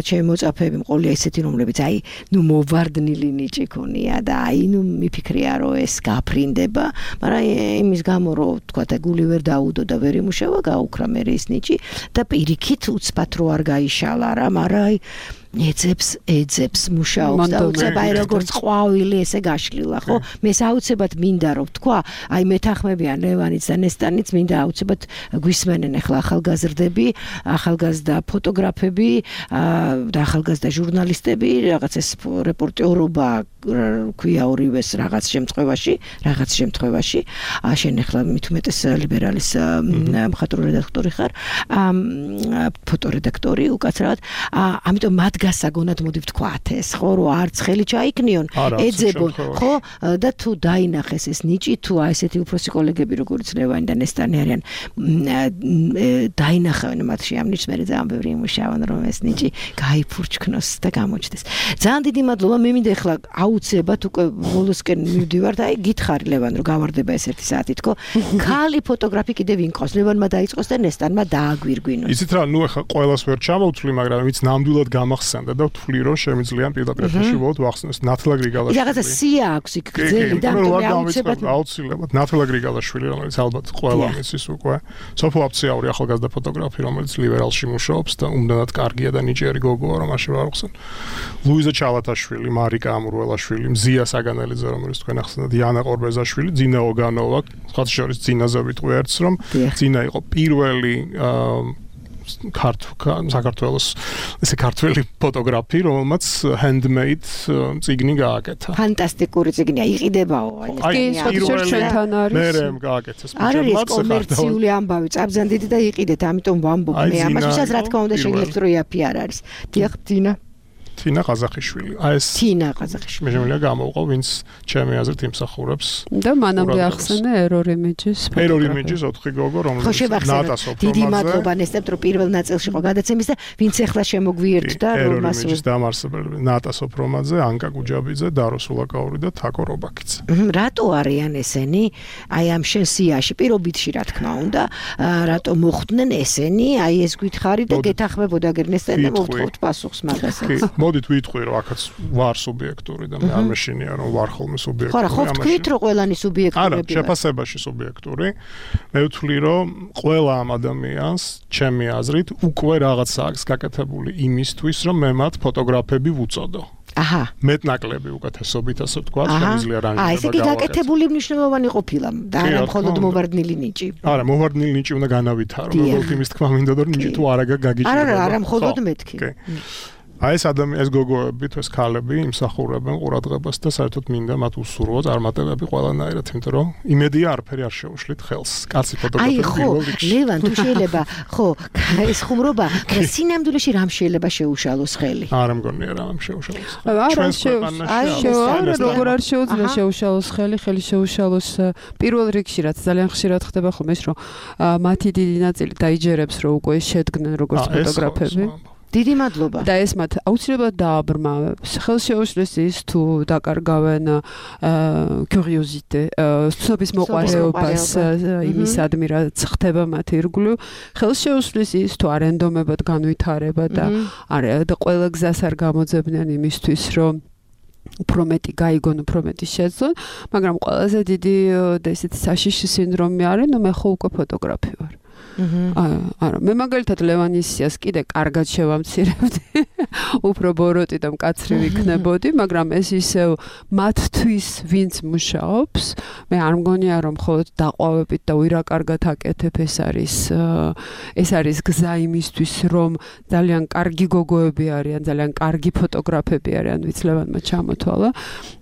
ჩემი მოწაფეები მყოლია ესეთი რომლებიც აი ნუ მოვარდნილი ნიჭი ქონია და აი ნუ მიფიქრია რომ ეს გაფრინდება მაგრამ იმის გამო რომ თქვა და გული ვერ დაუდო და ვერ იმუშავა გაუქრა მე ის ნიჭი და პირიქით უცბად რო არ გაიშალა რა მაგრამ აი ეძებს ეძებს მუშაობს და უცებ აი როგორც ყვავილი ესე გაშლილა ხო მე საუცებად მინდა რომ თქვა აი მეთანხმებიან ლევანიც და ნესტანიც მინდა აუცებად გვისმენენ ახლა ახალგაზრდები ახალგაზრდა ფოტოგრაფები და ახალგაზრდა ჟურნალისტები რაღაც ეს რეპორტერობა ქვია ორივეს რაღაც შემთხვევაში რაღაც შემთხვევაში შენ ახლა მით უმეტეს ლიბერალის მხატვრო რედაქტორი ხარ ფოტორედაქტორი უკაცრავად ამიტომ მათ გასაგონად მოდი ვთქვათ ეს ხო რომ არც ხელი ჩაიქნიონ ეძებონ ხო და თუ დაინახეს ეს ნიჭი თუ აი ესეთი უფროსი კოლეგები როგორც ლევანი და ნესტანი არიან დაინახავენ მათში ამ ნიჭს მე ძალიან ბევრი იმუშავენ რომ ეს ნიჭი გაიფურჩქნოს და გამოჩნდეს ძალიან დიდი მადლობა მე მინდა ახლა აუცილებლად უკვე ბოლოსკენ მივდივართ აი გითხარი ლევან რომ გავარდება ეს ერთი საათი თქო ქალი ფოტოგრაფი კიდევ ვინ ყავს ლევანმა დაიწყოს და ნესტანმა დააგვირგვინოს იცით რა ნუ ახლა ყველას ვერ ჩამოვთვლი მაგრამ ვიც ნამდვილად გამახსენდა და ვთვლი რომ შემიძლია პირდაპირში ვოთ ვახსნეს ნათლა გრიგალაშვილი რაღაცა სია აქვს იქ გზელი და აუცილებლად აუცილებლად ნათლა გრიგალაშვილი რომელიც ალბათ ყველა მისის უკვე სოფო აფციაური ახალგაზრდა ფოტოგრაფი რომელიც ლიბერალში მუშაობს და უმდენად კარგია და ნიჭიერი გოგოა რომ მაშინ არ ახსენ ლუიზა ჩალათაშვილი მარიკა ამურველაშვილი მზია საგანელიძე რომელიც თქვენ ახსენეთ იანა ყორბეზაშვილი ძინა ოგანოვა სხვათა შორის ძინაზე ვიტყვი ერთს რომ ძინა იყო პირველი საქართველოს ესე ქართველი ფოტოგრაფი, რომელმაც handmade წიგნი გააკეთა. ფანტასტიკური წიგნია, იყიდებაო. კი, ჩვენთან არის. მე რემ გააკეთეს. არ არის კომერციული ამბავი, წაბზან დიდი და იყიდეთ, ამიტომ ვამბობ მე ამას, ვისაც რა თქმა უნდა შეგიძლიათ რომ იაფი არ არის. დიახ, ძინა. თინა ყაზახიშვილი. აი ეს თინა ყაზახიშვილი. მე შემიძლია გამოვყო, ვინც ჩემი აზრით იმსახურებს. და მანამდე ახსენე error images. error images ოთხი გოგო, რომელიც ნატასო პრომაზე. დიდი მადლობა ნესტებ, რომ პირველ ნაწილში იყო გადაცემის და ვინც ახლა შემოგვიერთდა, რომ მას error images დამარსებელი ნატასო პრომაზე, ანკა გუჯაბიძე, დარო სულაკაური და თაკო რობაკიძე. რატო არიან ესენი? აი ამ შენ სიაში პირობითში რა თქმა უნდა, რატო მოხვდნენ ესენი? აი ეს გითხარი და გეთახმებოდა გერნესტენ და მოვთხოვთ პასუხს მაგასაც. მოდით ვიტყვი რომ აქაც ვარ სუბიექტური და მე არ მეშინია რომ ვარ ხოლმე სუბიექტური. ხო რა, ხო თქვით რომ ყველანი სუბიექტურები. არა, შეფასებაში სუბიექტური. მე ვთვლი რომ ყველა ამ ადამიანს ჩემი აზრით უკვე რაღაცა აქვს გაკეთებული იმისთვის რომ მე მათ ფოტოგრაფები ვუწოდო. აჰა. მეტნაკლები უკეთესობით ასე ვთქვა, შემიძლია რანგება გავაკეთო. აი, ესე კი გაკეთებული მნიშვნელოვანი ყოფილა და არა მხოლოდ მოვარდნილი ნიჭი. არა, მოვარდნილი ნიჭი უნდა განავითარო. როგორც იმის თქმა მინდა რომ ნიჭი თუ არა გაგიჭირება. არა, არა, მხოლოდ მეთქი. აი ეს ადამიანი ეს გოგოები თუ ეს ქალები იმსახურებენ ყურადღებას და საერთოდ მინდა მათ უსურვო წარმატებები ყველანაირად, იმიტომ რომ იმედია არაფერი არ შეუშლით ხელს. კაცი ფოტოგრაფი პირველ რიგში. აი ხო, ლევან თუ შეიძლება, ხო, ეს ხუმრობა, სინამდვილეში რამ შეიძლება შეუშალოს ხელი? არა მგონია რამ შეუშალოს. არა, შეუშალოს. როგორ არ შეუძლია შეუშალოს ხელი, ხელი შეუშალოს პირველ რიგში, რაც ძალიან ხშირად ხდება ხოლმე ის რომ მათი დიდი ნაწილი დაიჯერებს რომ უკვე შედგნენ როგორც ფოტოგრაფები. დიდი მადლობა. და ეს მათ აუცილებლად დააბრმავებს. ხელშეუშლის ის თუ დაკარგავენ კურიოზიტე, ცნობის მოყვარეობას იმისადმი რაც ხდება მათ ირგვლივ. ხელშეუშლის ის თუ არენდომებად განვითარება და არა და ყველა გზას არ გამოძებდნენ იმისთვის რომ უფრო მეტი გაიგონ, უფრო მეტი შეძლონ, მაგრამ ყველაზე დიდი და ესეთი საშიში სინდრომი არის, ნუ მე ხო უკვე ფოტოგრაფი ვარ. არა, მე მაგალითად ლევანისიას კიდე კარგად შევამცირებდი. უფრო ბოროტი და მკაცრი ვიქნებოდი, მაგრამ ეს ისევ მათთვის ვინც მუშაობს, მე არ მგონია რომ მხოლოდ დაყვავებით და ვირა კარგად აკეთებ, ეს არის ეს არის გზა იმისთვის, რომ ძალიან კარგი გოგოები არიან, ძალიან კარგი ფოტოგრაფები არიან, ვიც ლევანმა ჩამოთვალა,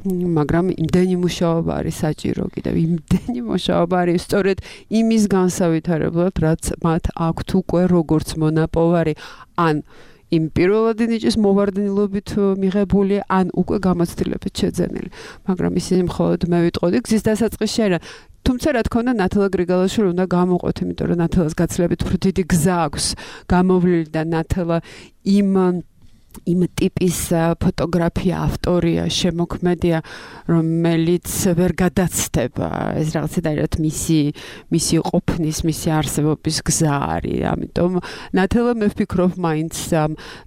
მაგრამ იმდენი მუშაობა არის საჭირო კიდევ, იმდენი მუშაობა არის სწორედ იმის განსავითარებლად, რაც მათ აქვთ უკვე როგორც მონაპოვარი, ან იმ პირველადი ნიჭის მოვარდნილობით მიღებული, ან უკვე გამოცდილებით შეძენილი. მაგრამ ისინი მხოლოდ მე ვიტყოდი გზის დასაწყისში არიან. თუმცა რა თქმა უნდა ნათელა გრიგალაშვილი უნდა გამოყვეთ, იმიტომ რომ ნათელას გაცილებით უფრო დიდი გზა აქვს გამოვლილი და ნათელა იმ იმ ტიპის ფოტოგრაფია, ავტორია, შემოქმედია, რომელიც ვერ გადაცდება. ეს რაღაცნაირად მისი მისი ყოფნის, მისი არსებობის გზა არის. ამიტომ ნათელა მე ვფიქრობ მაინც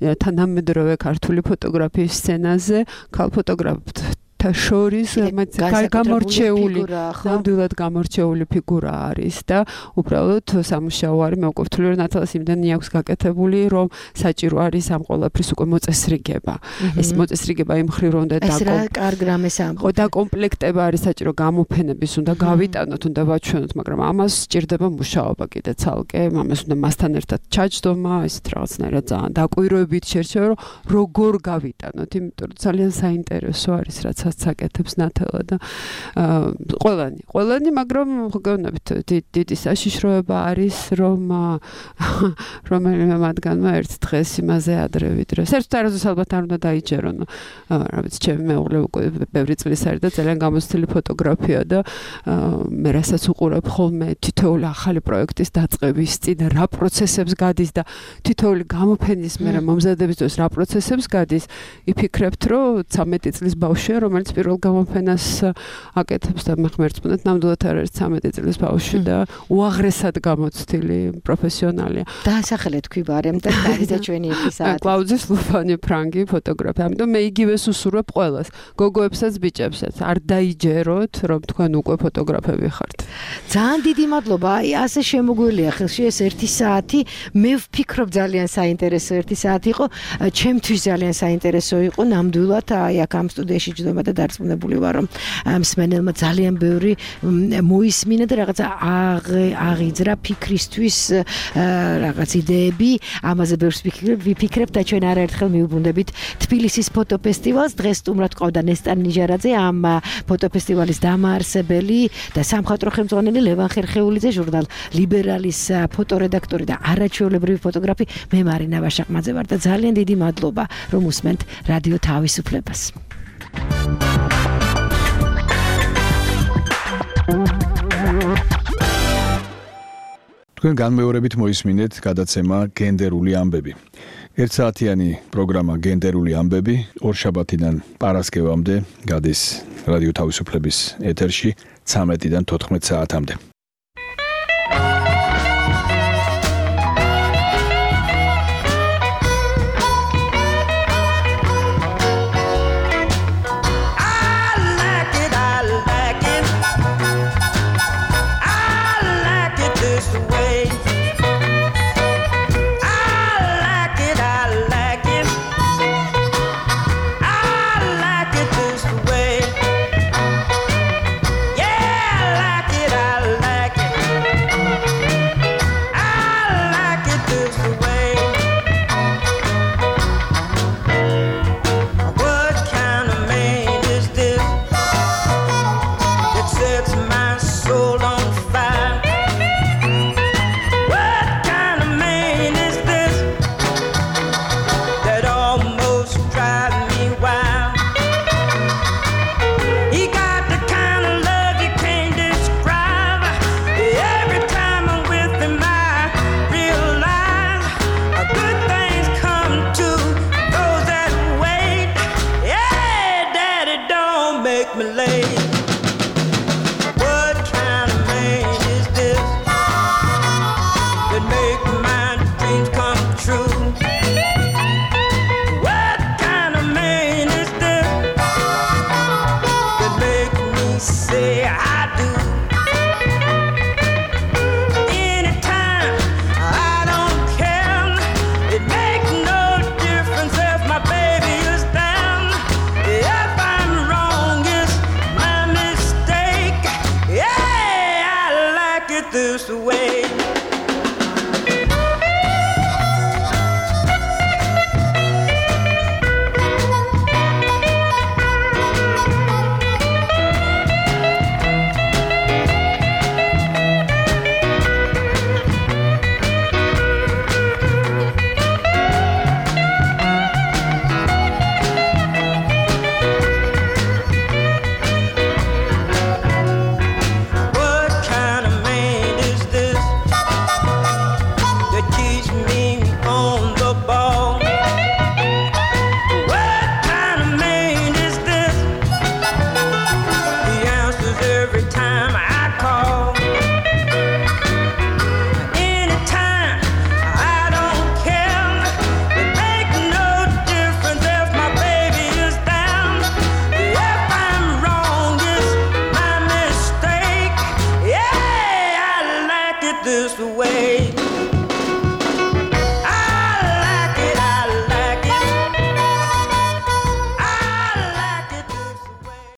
თანამედროვე ქართული ფოტოგრაფიის სცენაზე ქალ ფოტოგრაფთა შორის გამორჩეული, ნამდვილად გამორჩეული ფიგურა არის და უბრალოდ სამუშაო არის, მე უკვე ვთვლი რომ ნათელას იმდენი აქვს გაკეთებული, რომ საჭირო არის ამ ყველაფრის უკვე მოწესრიგება. ეს მოწესრიგება იმ მხრივ რომ და ეს რა კარგ რამეს ამბობ. და კომპლექტება არის საჭირო გამოფენების, უნდა გავიტანოთ, უნდა ვაჩვენოთ, მაგრამ ამას სჭირდება მუშაობა კიდე ცალკე, ამას უნდა მასთან ერთად ჩაჯდომა, ესეთ რაღაცნაირად ძალიან დაკვირვებით შერჩევა, რომ როგორ გავიტანოთ, იმიტომ რომ ძალიან საინტერესო არის რაც საკეთებს ნათელა და ყველანი, ყველანი, მაგრამ გონებით დიდი საშიშროება არის, რომ რომელიმე მათგანმა ერთ დღეს იმაზე ადრე ვიდრე. საერთოდ არასდროს ალბათ არ უნდა დაიჯერონ. რა ვიცი, ჩემი მეუღლე უკვე ბევრი წლის არის და ძალიან გამოცდილი ფოტოგრაფია და მე რასაც უყურებ ხოლმე თითოეული ახალი პროექტის დაწყების წინ რა პროცესებს გადის და თითოეული გამოფენის მერე მომზადების დროს რა პროცესებს გადის, იფიქრებთ, რომ ცამეტი წლის ბავშვია, რომელიც პირველ გამოფენას აკეთებს და მე ხმერწმუნეთ, ნამდვილად არ არის ცამეტი წლის ბავშვი და უაღრესად გამოცდილი პროფესიონალია. დაასახელეთ თქვი ბარემ და დაიძა ჩვენი ეპიზოდი. კლაუძის ლუფანი ფრანგი ფოტოგრაფი. ამიტომ მე იგივეს უსურვებ ყველას, გოგოებსაც, ბიჭებსაც. არ დაიჯეროთ, რომ თქვენ უკვე ფოტოგრაფები ხართ. ძალიან დიდი მადლობა. აი ასე შემოგველია ხელში ეს ერთი საათი. მე ვფიქრობ ძალიან საინტერესო ერთი საათი იყო. ჩემთვის ძალიან საინტერესო იყო ნამდვილად აი აქ ამ სტუდიაში ჯდომა და დარწმუნებული ვარ რომ მსმენელმა ძალიან ბევრი მოისმინა და რაღაცა აღიძრა ფიქრისთვის რაღაც იდეები, ამაზე ბევრს ვიფიქრებ და ჩვენ არაერთხელ მიუბრუნდებით თბილისის ფოტოფესტივალს. დღეს სტუმრად ყავდა ნესტან ნიჟარაძე, ამ ფოტოფესტივალის დამაარსებელი და სამხატვრო ხელმძღვანელი, ლევან ხერხეულიძე, ჟურნალ ლიბერალის ფოტორედაქტორი და არაჩვეულებრივი ფოტოგრაფი მე მარინა ვაშაყმაძე ვარ და ძალიან დიდი მადლობა რომ უსმენთ რადიო თავისუფლებას. თქვენ განმეორებით მოისმინეთ გადაცემა გენდერული ამბები. ერთსაათიანი პროგრამა გენდერული ამბები ორშაბათიდან პარასკევამდე გადის რადიო თავისუფლების ეთერში ცამეტიდან თოთხმეტ საათამდე. Yeah, I like it, I like it. make me late. What kind of man is this that make my dreams come true? What kind of man is this that make me say I do? Anytime, I don't care. It makes no difference if my baby is down. If I'm wrong, it's my mistake. Yeah, I like it this way.